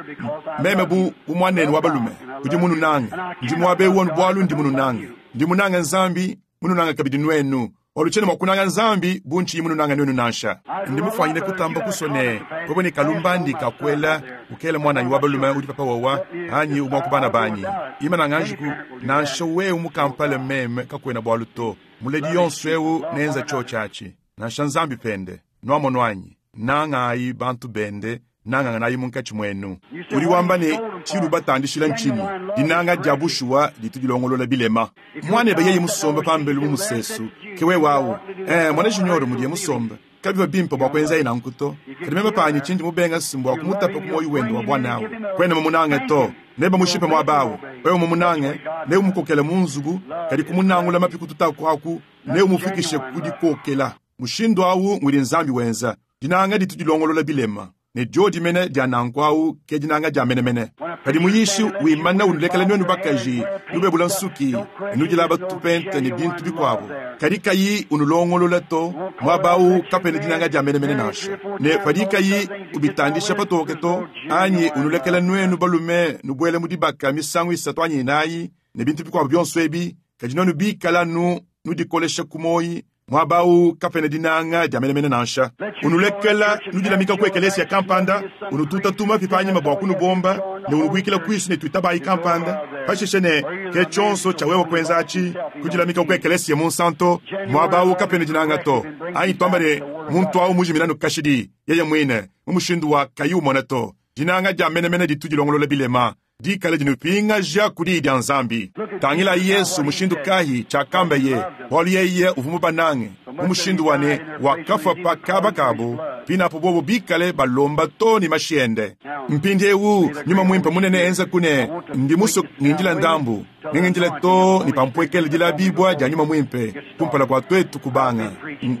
meme bu, bu muanenu wa balume udi mununange. Ndi muaba eu anu bualu ndi mununange. Ndi munange Nzambi, mununange kabidi nuenu. Bualu tshiena mua kunanga Nzambi bu ntshiyi mununange nuenu nansha. Ndi mufuanyine kutamba kusua ne, wewe ne kalumbandi ka kuela, ukela muananyi wa balume udi papa wawa, anyi umue wa ku bana banyi. Imana nganjiku, nansha wewe mukampale meme kakuena bualu to. Muledi yonso eu neenza tshiotshi atshi, nansha Nzambi pende. Nuamonu anyi? Nangayi bantu bende, nanganganayi munkatshi muenu. Udi wamba ne, Tshiudi ubatandishila ntshinyi? Dinanga dia bushuwa ditu dilongolola bilema. Muanebe yeye musombe pambelu mu musesu, ke wewe au. Ee, muana Junior mudiye musombe, kabivua bimpe bua kuenzaye nanku to. Kadi meme panyi tshindi mubenga si mbua kumutapa ku muoyo wende wa buana au. Kuena mumunange to. Nebamushipe muaba au. Wewe mumunange, neumukokele mu nzubu, kadi kumunangula mapi kututaku aku neumufikishe ku dikokela. Mushindu au ngudi Nzambi wenza. Dinanga ditu dilongolola bilema, ne diodi mene dia nanku au ke dinanga dia menemene. Padi muyishi wimana unulekela nuenu bakaji nubebula nsuki ne nudilaba tupente ne bintu bikuabu, kadi kayi unulongolola to, muaba au kapena dinanga dia menemene nansha. Ne padi kayi ubitandisha patoke to, anyi unulekela nuenu balume nubuela mu dibaka misangu isatu anyi inayi ne bintu bikuabu bionso ebi, Kadi nwenu biikale anu nudikolesha ku mwoyi, mwaba awu kapena dinanga dya menemene nansha. Unulekela nudilamika ku ekeleesiya kampanda, unutuuta tumapi paanyima bwa kunubomba, ne unubwikila kwisu ne twitabaayi kampanda, pashishe ne, Ke cyonso cya wewe kwenza aci, kudilamika ku ekeleesiya munsanto, mwaba awu kapena dinanga to. Anyi twamba ne, muntu awu mujimina anu kashidi, yeye mwine, mu mushindu wa kayi umona to. Dinanga dya menemene ditu dilongolola bilema, dikale dinupingaja ku Diyi dya Nzambi. Tangilayi Yesu, mushindu kayi, cyakambeye, bwalu Yeye uvwa mubanange, mu mushindu wa ne Wakafwa pa kaaba kaabo, pinapo bobo bikale balomba too ne mashi Ende. Mpindyewu, Nyuma Mwimpe munene enzaku ne ndi muswe ngindila ndambu, nengindile too ne pampwekela dilabiibwa dya Nyuma Mwimpe kumpala kwa twetu kubanga.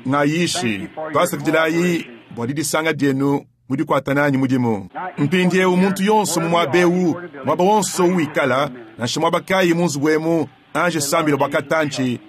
Ngayishi. Twasakidilayi bwa didisanga dyenu mu dikwata naanyi mudimu. Mpindyewu, muntu yonso mu mwaba ewu, mwaba wonso uwikala, nansha mwaba kaayi mu nzubu emu, anji sambila bwa katanci,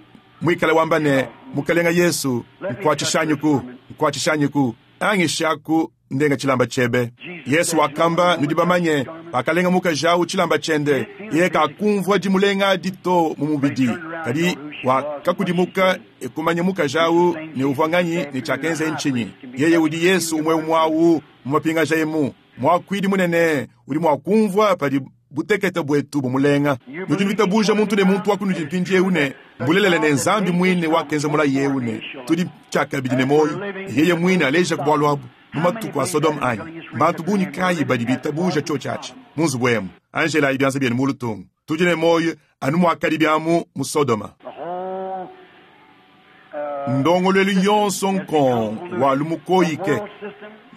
mwikale wamba ne, Mukalenga Yesu, nkwacishanyiku, nkwacishanyiku, angishaku ndenga cilamba cyebe. Yesu wakamba, nudi bamanye, pakalenga mukaji awu cilamba cyende, yeye kakumvwa dimulenga adi to mu mubidi, kadi wakakudimuka e kumanya mukaji awu ne uvwa nganyi ne cyakenzeye ncinyi. Yeye udi Yesu umweumwe awu mu mapingaja emu. Mwakwidi munene udi mwa kumvwa padi butekete bwetu bumulenga. Nudi nwitabuja muntu ne muntu wa kunudi mpindyewu ne, mbulelela ne Nzambi mwine wakenza mulayi ewu ne tudi cyakabidi ne mwoyi, ne Yeye mwine alejaku bwalu abu mu matuku a Sodome anyi? Mbantu bungi kaayi badi biitabuuja cyoci aci mu nzubu emu? Anjelaayi byanza byenu muulu tung. Tudi ne mwoyi anu mwakadibi amu mu Sodoma. Ndongolwelu yonso nkong wa lumukoyike,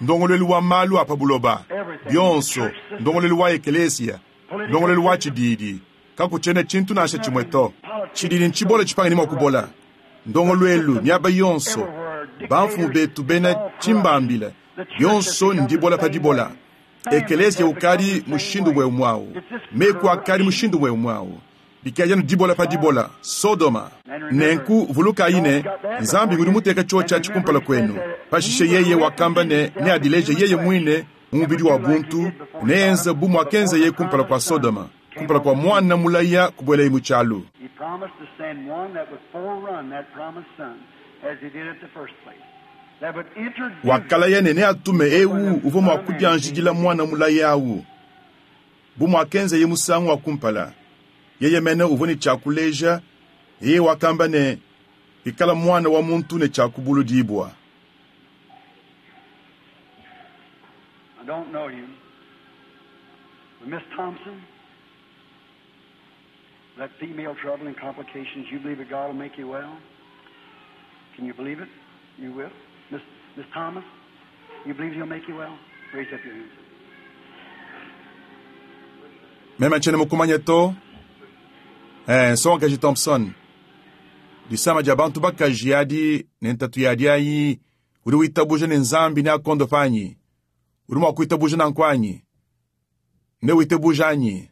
ndongolwelu wa maalu a pa buloba, byonso, ndongolwelu wa ekeleesiya, ndongolwelu wa cidiidi, kakucyena cintu nansha cimwe to. Cidiidi ncibole cipange ne mwa kubola. Ndongolwelu, myaba yonso, bamfumu beetu beena cimbambila, byonso ndibola pa dibola. Ekeleesiya ukaadi mushindu umweumwe awu. Meku akaadi mushindu umweumwe awu. Bikadi anu dibola pa dibola, Sodoma. Nenku vulukaayi ne, Nzambi ngudi muteeka cyoci aci kumpala kwenu. Pashishe Yeye wakamba ne neadileje Yeye mwine mu mubidi wa buntu, neenze bu mwakenzeye kumpala kwa Sodoma, kumpala kwa mwana mulaya kubwelaye mu cyalu. Wakalaya ne neatume ewu uvwa mwa kudyanjidila mwana mulaya awu, bu mwakenzeye musangu wa kumpala. Yeye mene uvua ne tshia kuleja, yeye wakamba ne, Pikala Muana wa muntu ne tshia kubuludibua. Meme ntshiena mukumanye to. Eh, nsongakaji Thompson, disama dia bantu bakaji adi ne ntatu yadi ayi, udi witabuja ne Nzambi neakondope anyi? Udi mua kuitabuja nanku anyi? Newitabuja anyi?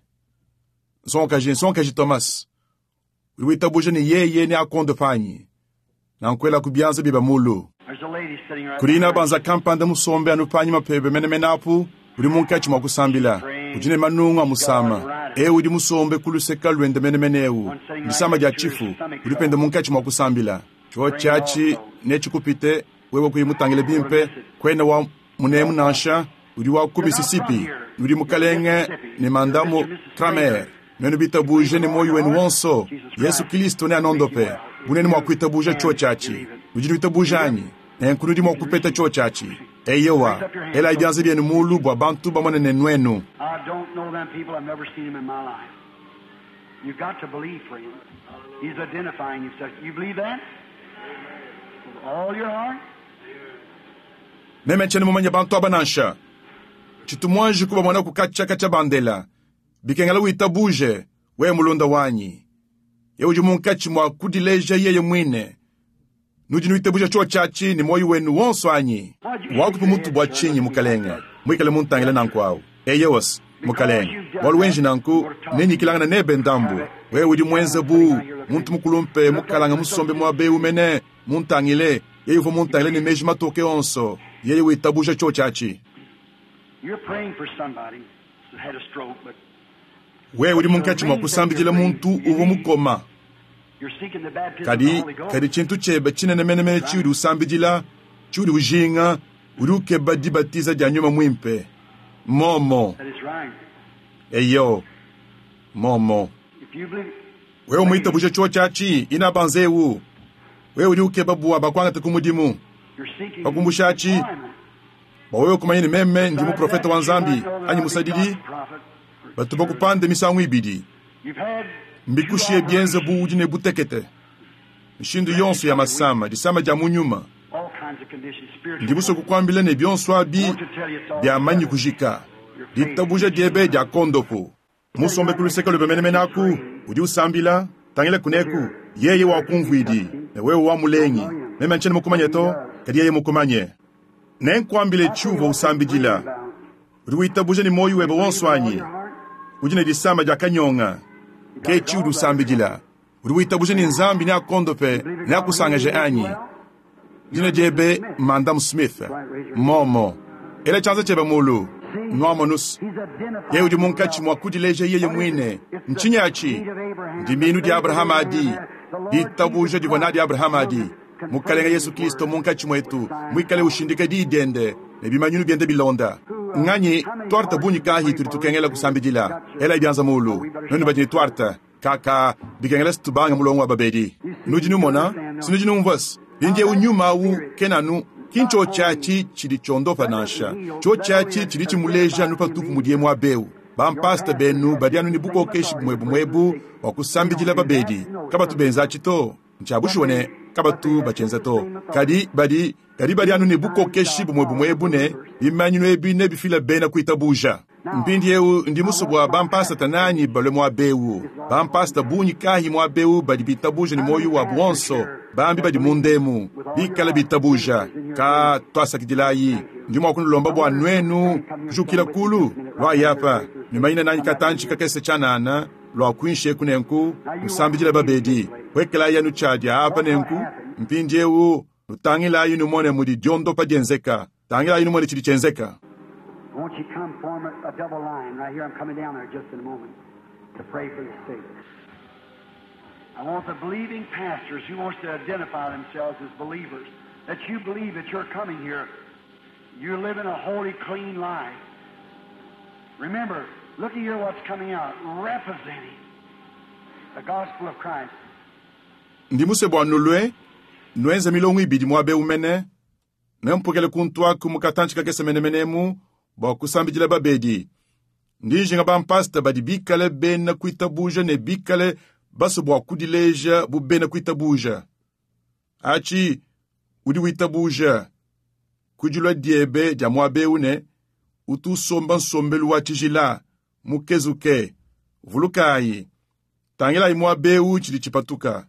Nsongakaji, nsongakaji Thomas, Udi witabuja ne yeye neakondope anyi? Nanku elaku bianza biebe mulu. Kudi inabanza kampanda musombe anu panyima pebe menemene apu, udi munkatshi mua kusambila. Udi ne manungu amusama. Eu udi musombe ku luseka luende menemene eu, ndisama dia tshifu. Udi pende munkatshi mua kusambila. Tshiotshi atshi netshikupite wewe kuyi mutangile bimpe. Kuena wa munemu nansha, udi wa ku Mississippi. Nudi Mukalenge ne Mandamu Kramer. Nuenu bitabuje ne muoyo wenu wonso, Yesu Kilisto neanondope. Bu nuenu mua kuitabuja tshiotshi atshi! Nudi nuitabuja anyi? Nenku nudi mua kupeta tshiotshi atshi. Eyowa. Elayi bianza bienu mulu bua bantu bamone ne nuenu. Meme ntshiena mumanye bantu aba nansha. Tshitu muanji kubamona ku katshia katshia bandela. Bikengela witabuje, wewe mulunda wanyi. Yeye udi munkatshi mua kudileja yeye muine. Nudi nuitabuja tshiotshi atshi ne muoyo wenu wonso anyi? Wakupi mutu bua tshinyi, Mukalenge, muikale muntangile nanku awu? Eyowas, Mukalenge. Bualu wenji nanku, nenyikilangane nebe ndambu. Wewe udi muenze bu muntu mukulumpe mukalanga musombe muaba eu mene, muntangile. Yeye uvua muntangile ne meji matoke onso. Yeye witabuja tshiotshi atshi. Wewe udi munkatshi mua kusambidila muntu uvua mukoma. Kadi, kadi tshintu tshiebe tshinene menemene tshiudi usambidila, tshiudi ujinga, udi ukeba dibatiza dia Nyuma Muimpe. Mmuomu. Eyo. Mmuomu. Wewe muitabuje tshiotshi atshi, inabanza eu. Wewe udi ukeba bua bakuangate ku mudimu. Pa kumbusha atshi, bua wewe kumanya ne meme ndi muprofete wa Nzambi anyi musadidi, batu bakupande misangu ibidi. Mbikushiye bienze bu udi ne butekete, mishindu yonso ya masama, disama dia mu nyuma. Ndi musue kukuambila ne bionso abi biamanyi kujika. Ditabuja diebe dia kondopu. Musombe ku luseke luebe menemene aku, udi usambila, tangila kuneku, yeye wakumvuidi, ne wewe wamulengi. Meme ntshiena mukumanye to, kadi yeye mukumanye. Nenkuambile tshiuvua usambidila. Udi witabuja ne muoyo webe wonso anyi? Udi ne disama dia kanyonga. Ke tshiudi usambidila. Udi witabuja ne Nzambi neakondope, neakusangaje anyi? Dina diebe Madame Smith. Mmomo. Ela tshianza tshiebe mulu. Nuamonus. Yeye udi munkatshi mua kudileja yeye muine. Ntshinyi atshi? Ndimiinu dia Abrahama adi. Ditabuja divua nadi Abrahama adi. Mukalenge Yesu Kristo munkatshi muetu, muikale ushindika Diyi diende ne bimanyinu biende bilonda. Nganyi, tuarte bungi kayi tudi tukengela kusambidila? Elayi bianza mulu, nuenu badi ne tuarte. Kaka, bikengela se tubange mulongo wa babedi. Nudi numona, si nudi numvua-se? Mpindieu nyuma awu kena anu, ki ntshiotshi atshi tshidi tshiondopa nansha. Tshiotshi atshi tshidi tshimuleja anu patupu mudiye muaba eu. Bampasta benu badi anu ne bukokeshi bumue-bumue ebu bua kusambidila babedi. Kabatu benza atshi to. Ntshia bushuwa ne, kabatu batshienza to. Kadi badi, kadi badi anu ne bukokeshi bumue-bumue ebu ne bimanyinu ebi nebifile bena kuitabuja. Mpindieu ndi musue bua bampasata nanyi balue muaba eu. Bampasata bungi kayi muaba eu badi bitabuja ne muoyo wabu wonso? Bambi badi munda emu bikale bitabuja. Ka tuasakidilayi. Ndi mua kunulomba bua nuenu kujukila kulu? Luayi apa, nuimanyine nanyi katantshi kakese tshianana lua kuinshi eku nenku, nusambidile babedi. Puekelayi anu tshiadia apa nenku. Mpindieu nutangilayi numone mudi diondopa dienzeka. Tangilayi numone tshidi tshienzeka. Won't you come form a, a double line right here? I'm coming down there just in a moment to pray for the sick. I want the believing pastors who wants to identify themselves as believers, that you believe that you're coming here, you're living a holy, clean life. Remember, look at here what's coming out, representing the gospel of Christ. Ndi musue bua nulue nuenze milongo ibidi muaba eu mene, Nempukile kuntu aku mu katantshi kakese menemene emu bua kusambidila babedi. Ndi njinga bampasta badi bikale bena kuitabuja ne bikale basue bua kudileja bu bena kuitabuja. Atshi, udi witabuja ku dilua diebe dia muaba eu ne utu usomba nsombelu wa tshijila, mukezuke. Vulukayi, tangilayi muaba eu tshidi tshipatuka.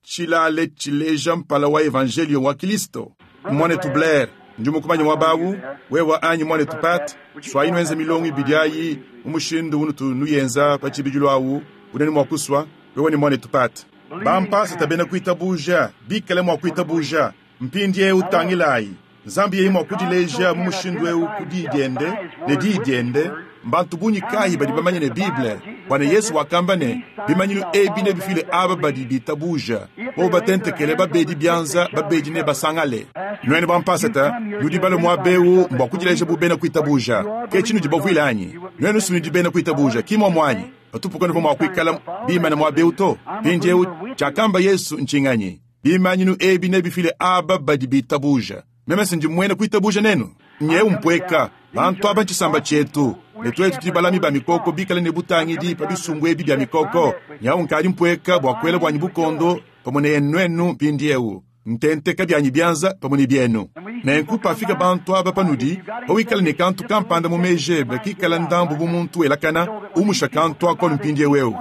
Tshilale tshileja mpala wa evanjeliyo wa Kilisto. Muanetu Blair, ndi mukumanye muaba awu, wewa anyi muanetu Pat, suayi nuenze milongo ibidi ayi mu mushindu unutu nuyenza pa tshibidilu awu, unenu mua kusua, wewa ne muanetu Pat. Bampasata bena kuitabuja bikale mua kuitabuja. Mpindiewu tangilayi, Nzambi yeye mua kudileja mu mushindu eu ku Diyi diende, ne Diyi diende, mbantu bungi kayi badi bamanye ne Bible, bua ne Yesu wakamba ne, Bimanyinu ebi nebifile aba badi bitabuja, bobo batentekele babedi bianza, babedi nebasangale. Nuenu bampasata, nudi balue muaba eu mbua kudileja bu bena kuitabuja. Ke tshinudi bavuile anyi? Nuenu si nudi bena kuitabuja, ki muomu anyi? Patupu kanuvua mua kuikala bimane muaba eu to. Mpindieu, tshiakamba Yesu ntshinganyi? Bimanyinu ebi nebifile aba badi bitabuja. Meme si ndi muena kuitabuja nenu? Nyewu mpueka. Bantu aba ntshisamba tshietu, ne tuetu tudi balami ba mikoko bikale ne butangidi pa bisumbu ebi bia mikoko. Nyewu nkadi mpueka bua kuela buanyi bukondo pamue ne nuenu mpindieu, ntenteka bianyi bianza pamue ne bienu. Nenku pafika bantu aba panudi, pawikala ne kantu kampanda mu meji ebe kikala ndambu bu muntu welakana, umusha kantu ako anu mpindieu eu.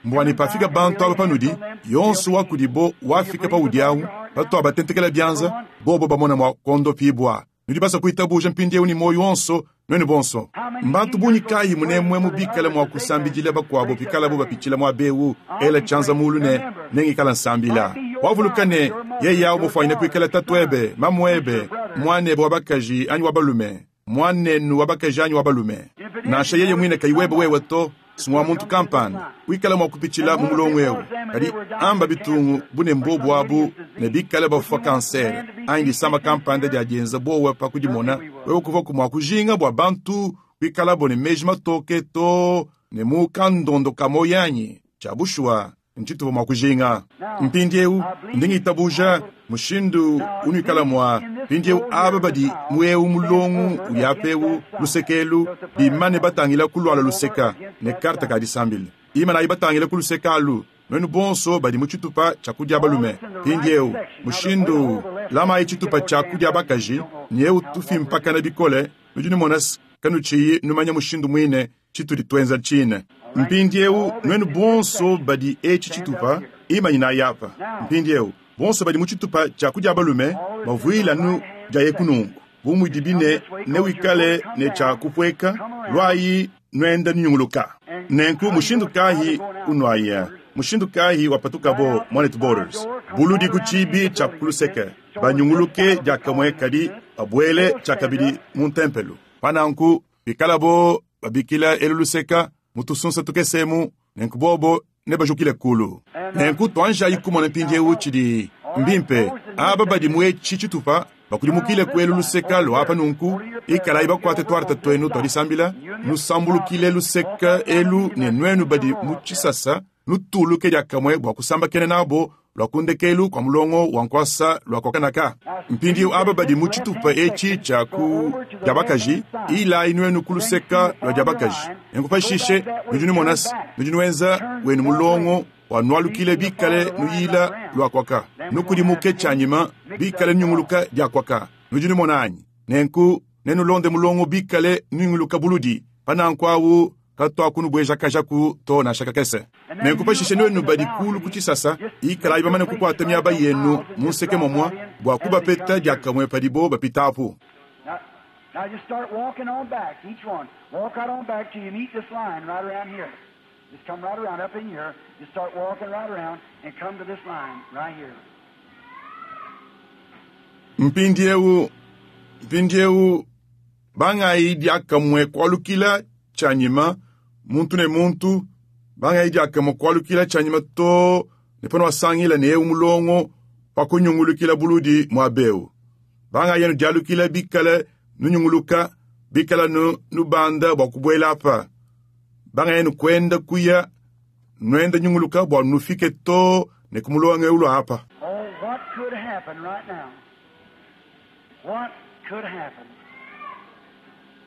Mbua ne pafika bantu aba panudi, yonso wa kudibo wafika paudi awu, patuabatentekela bianza, bobo bamona mua kuondopibua. Nudi basue kuitabuja mpindieu ne muoyo wonso, nuenu bonso. Mbantu bungi kayi munemuemu bikale mua kusambidila bakuabo pikalabo bapitshila muaba eu? Ela tshianza mulu ne, Nengikala nsambila. Wavuluka ne, yeye awu mufuanyine kuikala tatuebe, mamuebe, muanebe wa bakaji anyi wa balume, muanenu wa bakaji anyi wa balume. Nansha yeye muine kayi webe wewe to. Ngwa muntu kampanda wikala mua kupitshila mu mulongo eu, kadi amba bitungu bu ne mbobu abu ne bikale bafua kansere anyi disama kampanda dia dienza bowa pa kudimona, wewe kuvuaku mua kujinga bua bantu kuikalabo ne meji matoke too ne mu kandondo ka muoyo anyi? Tshia bushuwa, ntshituvua mua kujinga. Mpindieu, ndi ngitabuja mushindu unuikala mua. Mpindieu aba badi mu eu mulongo udi apa eu luseke elu bimane batangila ku luala luseka ne karte ka disambila. Imanayi batangile ku luseke alu, nuenu bonso badi mu tshitupa tshia ku dia balume. Mpindieu, mushindu lamayi tshitupa tshia ku dia bakaji, ne eu tufimpakana bikole, nudi numona kanutshiyi numanya mushindu muine tshitudi tuenza tshine. Mpindieu, nuenu bonso badi etshi tshitupa, imanyinayi apa. Mpindieu, bonso badi mu tshitupa tshia ku dia balume bavuile anu diayeku nunku, bu mudibi ne newikale ne tshia kupueka, luayi nuenda nunyunguluka. Nenku mushindu kayi unuaya? Mushindu kayi wapatukabo, Muanetu Borders? Buludi ku tshiibi tshia ku luseke, banyunguluke diakamue kadi babuele tshiakabidi mu ntempelo. Pa nanku, pikalabo babikila elu luseka mu tusunsa tukese emu, nenku bobo nebajukile kulu. Nenku tuanjayi kumona mpindieu tshidi mbimpe. Aba badi mu etshi tshitupa bakudimukile ku elu luseka lua apa nunku, ikalayi bakuate tuarte tuenu tua disambila, nusambulukile luseka elu, ne nuenu badi mu tshisasa nutuluke diakamue bua kusambakena nabo lua ku ndekelu kua mulongo wa nkuasa lua kokanaka. Mpindieu aba badi mu tshitupa etshi tshia ku dia bakaji, ilayi nuenu ku luseka lua dia bakaji. Nenku pashishe nudi numona se, nudi nuenza wenu mulongo wa nualukile bikale nuyila lua kuaka, nukudimuke tshianyima bikale nunyunguluka dia kuaka. Nudi numona anyi? Nenku nenulonde mulongo bikale nunyunguluka buludi. Pa nanku awu katuakunubuejakajaku to nansha kakese. Nenku pashishe nuenu badi kulu ku tshisasa, ikalayi bamane kukuata miaba yenu mu nseke momua bua kubapeta diakamue padibo bapitapu. Now just start walking on back, each one. Walk right on back till you meet this line right around here. Just come right around up in here. Just start walking right around and come to this line right here. Mpindieu, mpindieu, bangayi diakamue kualukila tshianyima, muntu ne muntu, bangayi diakamue kualukila tshianyima too ne panuasangila ne eu mulongo pa kunyungulukila buludi muaba eu. Bangayi anu dialukila bikale nunyunguluka, bikale anu nubanda bua kubuela apa. Bangayi anu kuenda kuya, nuenda nyunguluka bua nufike too ne ku mulongo eu lua apa. Oh, what could happen right now? What could happen?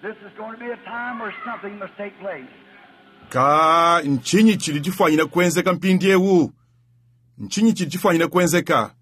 This is going to be a time where something must take place. Ka ntshinyi tshidi tshifuanyine kuenzeka mpindieu? Ntshinyi tshidi tshifuanyine kuenzeka?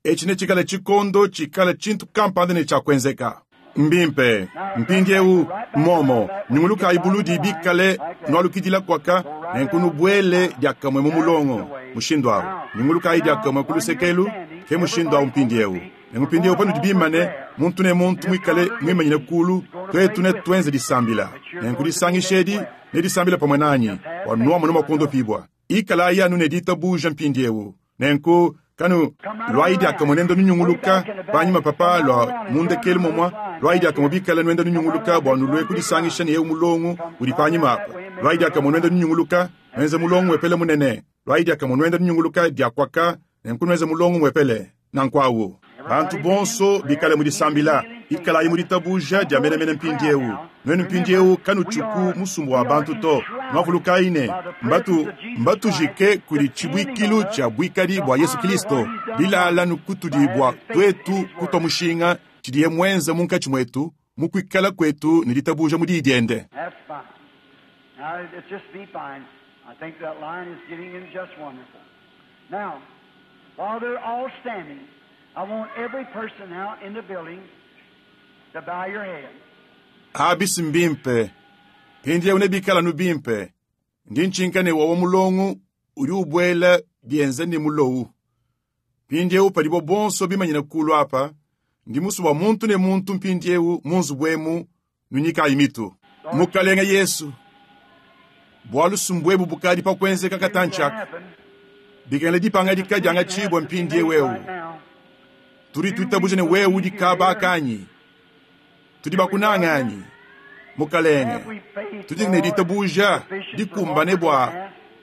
Etshi netshikale tshikondo tshikala tshintu kampanda ne tshia kuenzeka. Mbimpe. Mpindieu, mmuomo, nyungulukayi buludi bikale nualukidila kuaka, nenku nubuele diakamue mu mulongo. Mushindu au. Nyungulukayi diakamue ku luseke elu, ke mushindu au mpindieu. Nenku mpindieu panudi bimane, muntu ne muntu muikale muimanyine kulu, tuetu netuenze disambila. Nenku disangisha edi nedisambile pamue nanyi, bua nuamone mua kuondopibua. Ikalayi anu ne ditabuja mpindieu. Nenku kanu luayi diakamue nenda nunyunguluka panyima papa lua mu ndekelu momua, luayi diakamue bikale nuenda nunyunguluka bua nulue kudisangisha ne eu mulongo udi panyima apa. Luayi diakamue nuenda nunyunguluka, nuenze mulongo wepele munene. Luayi diakamue nuenda nunyunguluka dia kuaka, nenku nuenze mulongo muepele. Nanku awu, bantu bonso bikale mu disambila, ikalayi mu ditabuja dia menemene mpindieu. Nuenu mpindieu kanutshiku musumba wa bantu to. Nuavulukayi ne, mbatu, mbatujike kudi tshibuikilu tshia buikadi bua Yesu Kilisto, bilala nukutudi bua tuetu kutua mushinga tshidiye muenze munkatshi muetu mu kuikala kuetu ne ditabuja mu Diyi diende. That's fine. Now, it's just be fine. I think that line is getting in just wonderful. Now, while they're all standing, I want every person now in the building to bow your head. Abi si mbimpe. Mpindieu nebikale anu bimpe. Ndi ntshinka ne wawa mulongo udi ubuela bienza ne mulowu. Mpindieu padibo bonso bimanyine kulu apa, ndi musue bua muntu ne muntu mpindieu mu nzubu emu nunyikayi mitu. Mukalenge Yesu, bualu sumbu ebu bukadi pa kuenzeka katantshi aka, bikengela dipangadika diangatshibua mpindieu eu. Tudi tuitabuja ne wewe udi kaba kanyi? Tudi bakunange anyi? Mukalenge, tudi ne ditabuja dikumbane bua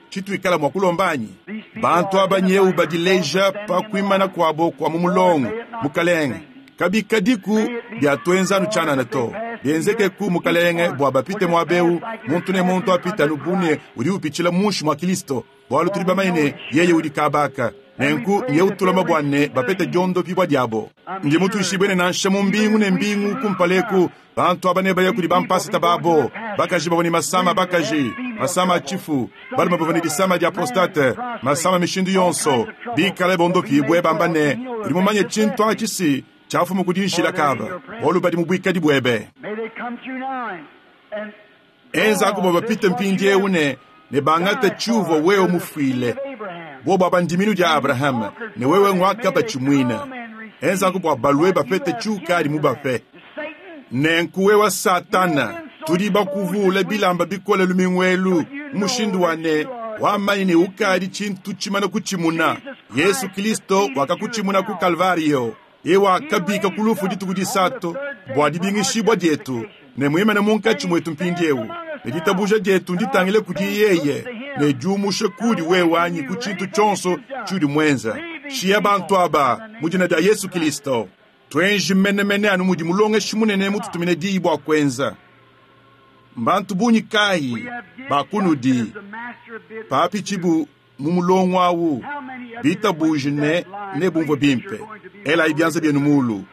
tshituikala mua kulomba anyi? Bantu aba nyewu badileja pa kuimana kuabo kua mu mulongo, Mukalenge. Kabikadiku biatuenza anu tshianana to. Bienzekeku, Mukalenge, bua bapite muaba eu, muntu ne muntu apite anu bu ne udi upitshila munshi mua Kilisto, bualu tudi bamanye ne yeye udi kabaka. Nenku nye utulama bua ne bapete diondopibua diabo. Ndi mutuishibue ne nansha mu mbingu ne mbingu kumpala eku, bantu aba nebaya kudi bampasita babo, bakaji bavua ne masama a bakaji, masama a tshifu, balume bavua ne disama dia prostate, masama mishindu yonso, bikale bondopibue bamba ne, Udi mumanye tshintu atshi si tshiafumu ku dinshila kaba, bualu badi mu buikadi buebe. Enzaku bua bapite mpindieu ne ne bangate tshiuvua wewe mufuile. Bobo aba ndiminu dia Abrahama, ne wewe nguakabatshimuina. Enzaku bua balue bapete tshiukadi mubape. Nenku wewe Satana, tudi bakuvuule bilamba bikole lumingu elu mu mushindu wa ne, wamanyi ne ukadi tshintu tshimana kutshimuna. Yesu Kristo wakakutshimuna ku Kalvario. Yeye wakabika ku lufu dituku disatu bua dibingishibua dietu, ne muimane munkatshi muetu mpindieu. Ne ditabuja dietu nditangile kudi yeye, ne diumushe kudi wewe anyi ku tshintu tshionso tshiudi muenza. Shiya bantu aba mu dina dia Yesu Kristo. Tuenji menemene anu mudi Mulongeshi Munene mututumine diyi bua kuenza. Mbantu bungi kayi ba kunudi papitshibu mu mulongo awu bitabuje ne nebumvue bimpe? Elayi bianza bienu muulu.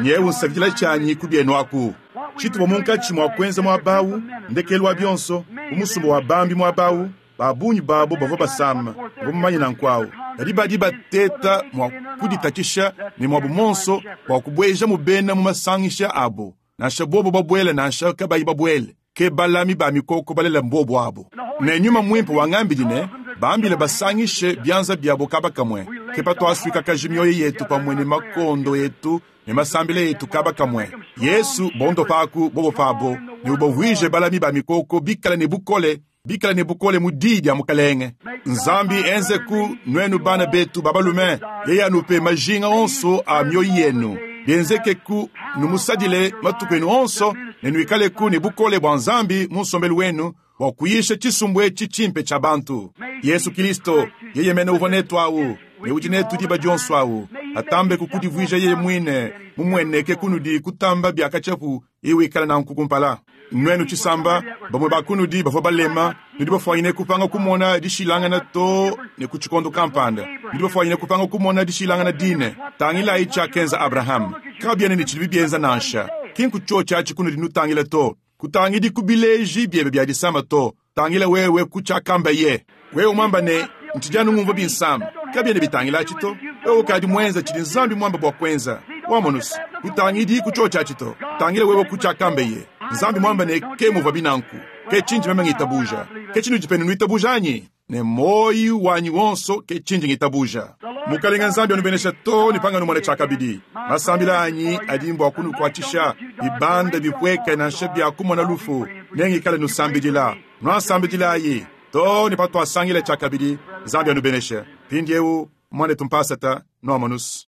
Nyewu nsakidila tshianyi ku bienu aku. Tshituvua munkatshi mua kuenza muaba awu, ndekelu wa bionso, bu musumba wa bambi muaba awu, ba bungi babo bavua basama, mvua mumanye nanku awu. Kadi badi bateta mua kuditatshisha ne muabu muonso bua kubuejamu bena mu masangisha abo, nansha bobo babuele nansha kabayi babuele. Ke balami ba mikoko balela mbobo abo. Ne Nyuma Muimpe wangambidi ne, Bambile basangishe bianza biabo kaba kamue. Ke patuasuikakaji mioyo yetu pamue ne makondo etu ne masambila etu kaba kamue. Yesu, bondopaku bobo pabo, ne ubavuije balami ba mikoko bikale ne bukole, bikale ne bukole mu Diyi dia Mukalenge. Nzambi enzeku nuenu bana betu ba balume, yeye anupe majinga onso a mioyo yenu. Bienzekeku numusadile matuku enu onso ne nuikaleku ne bukole bua Nzambi mu nsombelu wenu bua kuyisha tshisumbu etshi tshimpe tshia bantu. Yesu Kilisto, yeye mene uvua netu awu ne udi netu diba dionso awu, atambe kukudivuija yeye muine mumueneke kunudi kutamba bia katshiapu iwikala nanku kumpala. Nuenu tshisamba, bamue ba kunudi bavua balema, nudi bafuanyine kupanga kumona dishilangana too ne ku tshikondo kampanda. Nudi bafuanyine kupanga kumona dishilangana dine. Tangilayi tshiakenza Abrahame. Kabiena ne tshidibi bienza nansha. Ki nku tshiotshi atshi kunudi nutangila to. Kutangidi ku bileji biebe bia disama to. Tangila wewe ku tshiakambaye. Wewe muamba ne, Ntshidi anu ngumvua binsama. Kabiena bitangila atshi to. Wewe ukadi muenza tshidi Nzambi muamba bua kuenza. Wamonu's, kutangidi ku tshiotshi atshi to. Tangila wewe ku tshiakambeye. Nzambi muamba ne, Ke muvuabi nanku. Ke tshindi meme ngitabuja. Ke tshinudi penu nuitabuja anyi? Ne muoyi wanyi wonso ke tshindi ngitabuja. Mukalenga Nzambi anubenesha too ne panganumona tshiakabidi. Masambila anyi adi mbua kunukuatshisha, bibanda bipueke nansha bia kumona lufu, nengikale nusambidila. Nuansambidilayi too ne patuasangila tshiakabidi. Nzambi anubeneshe. Mpindiewu, muanetu mpasata, nuamonus.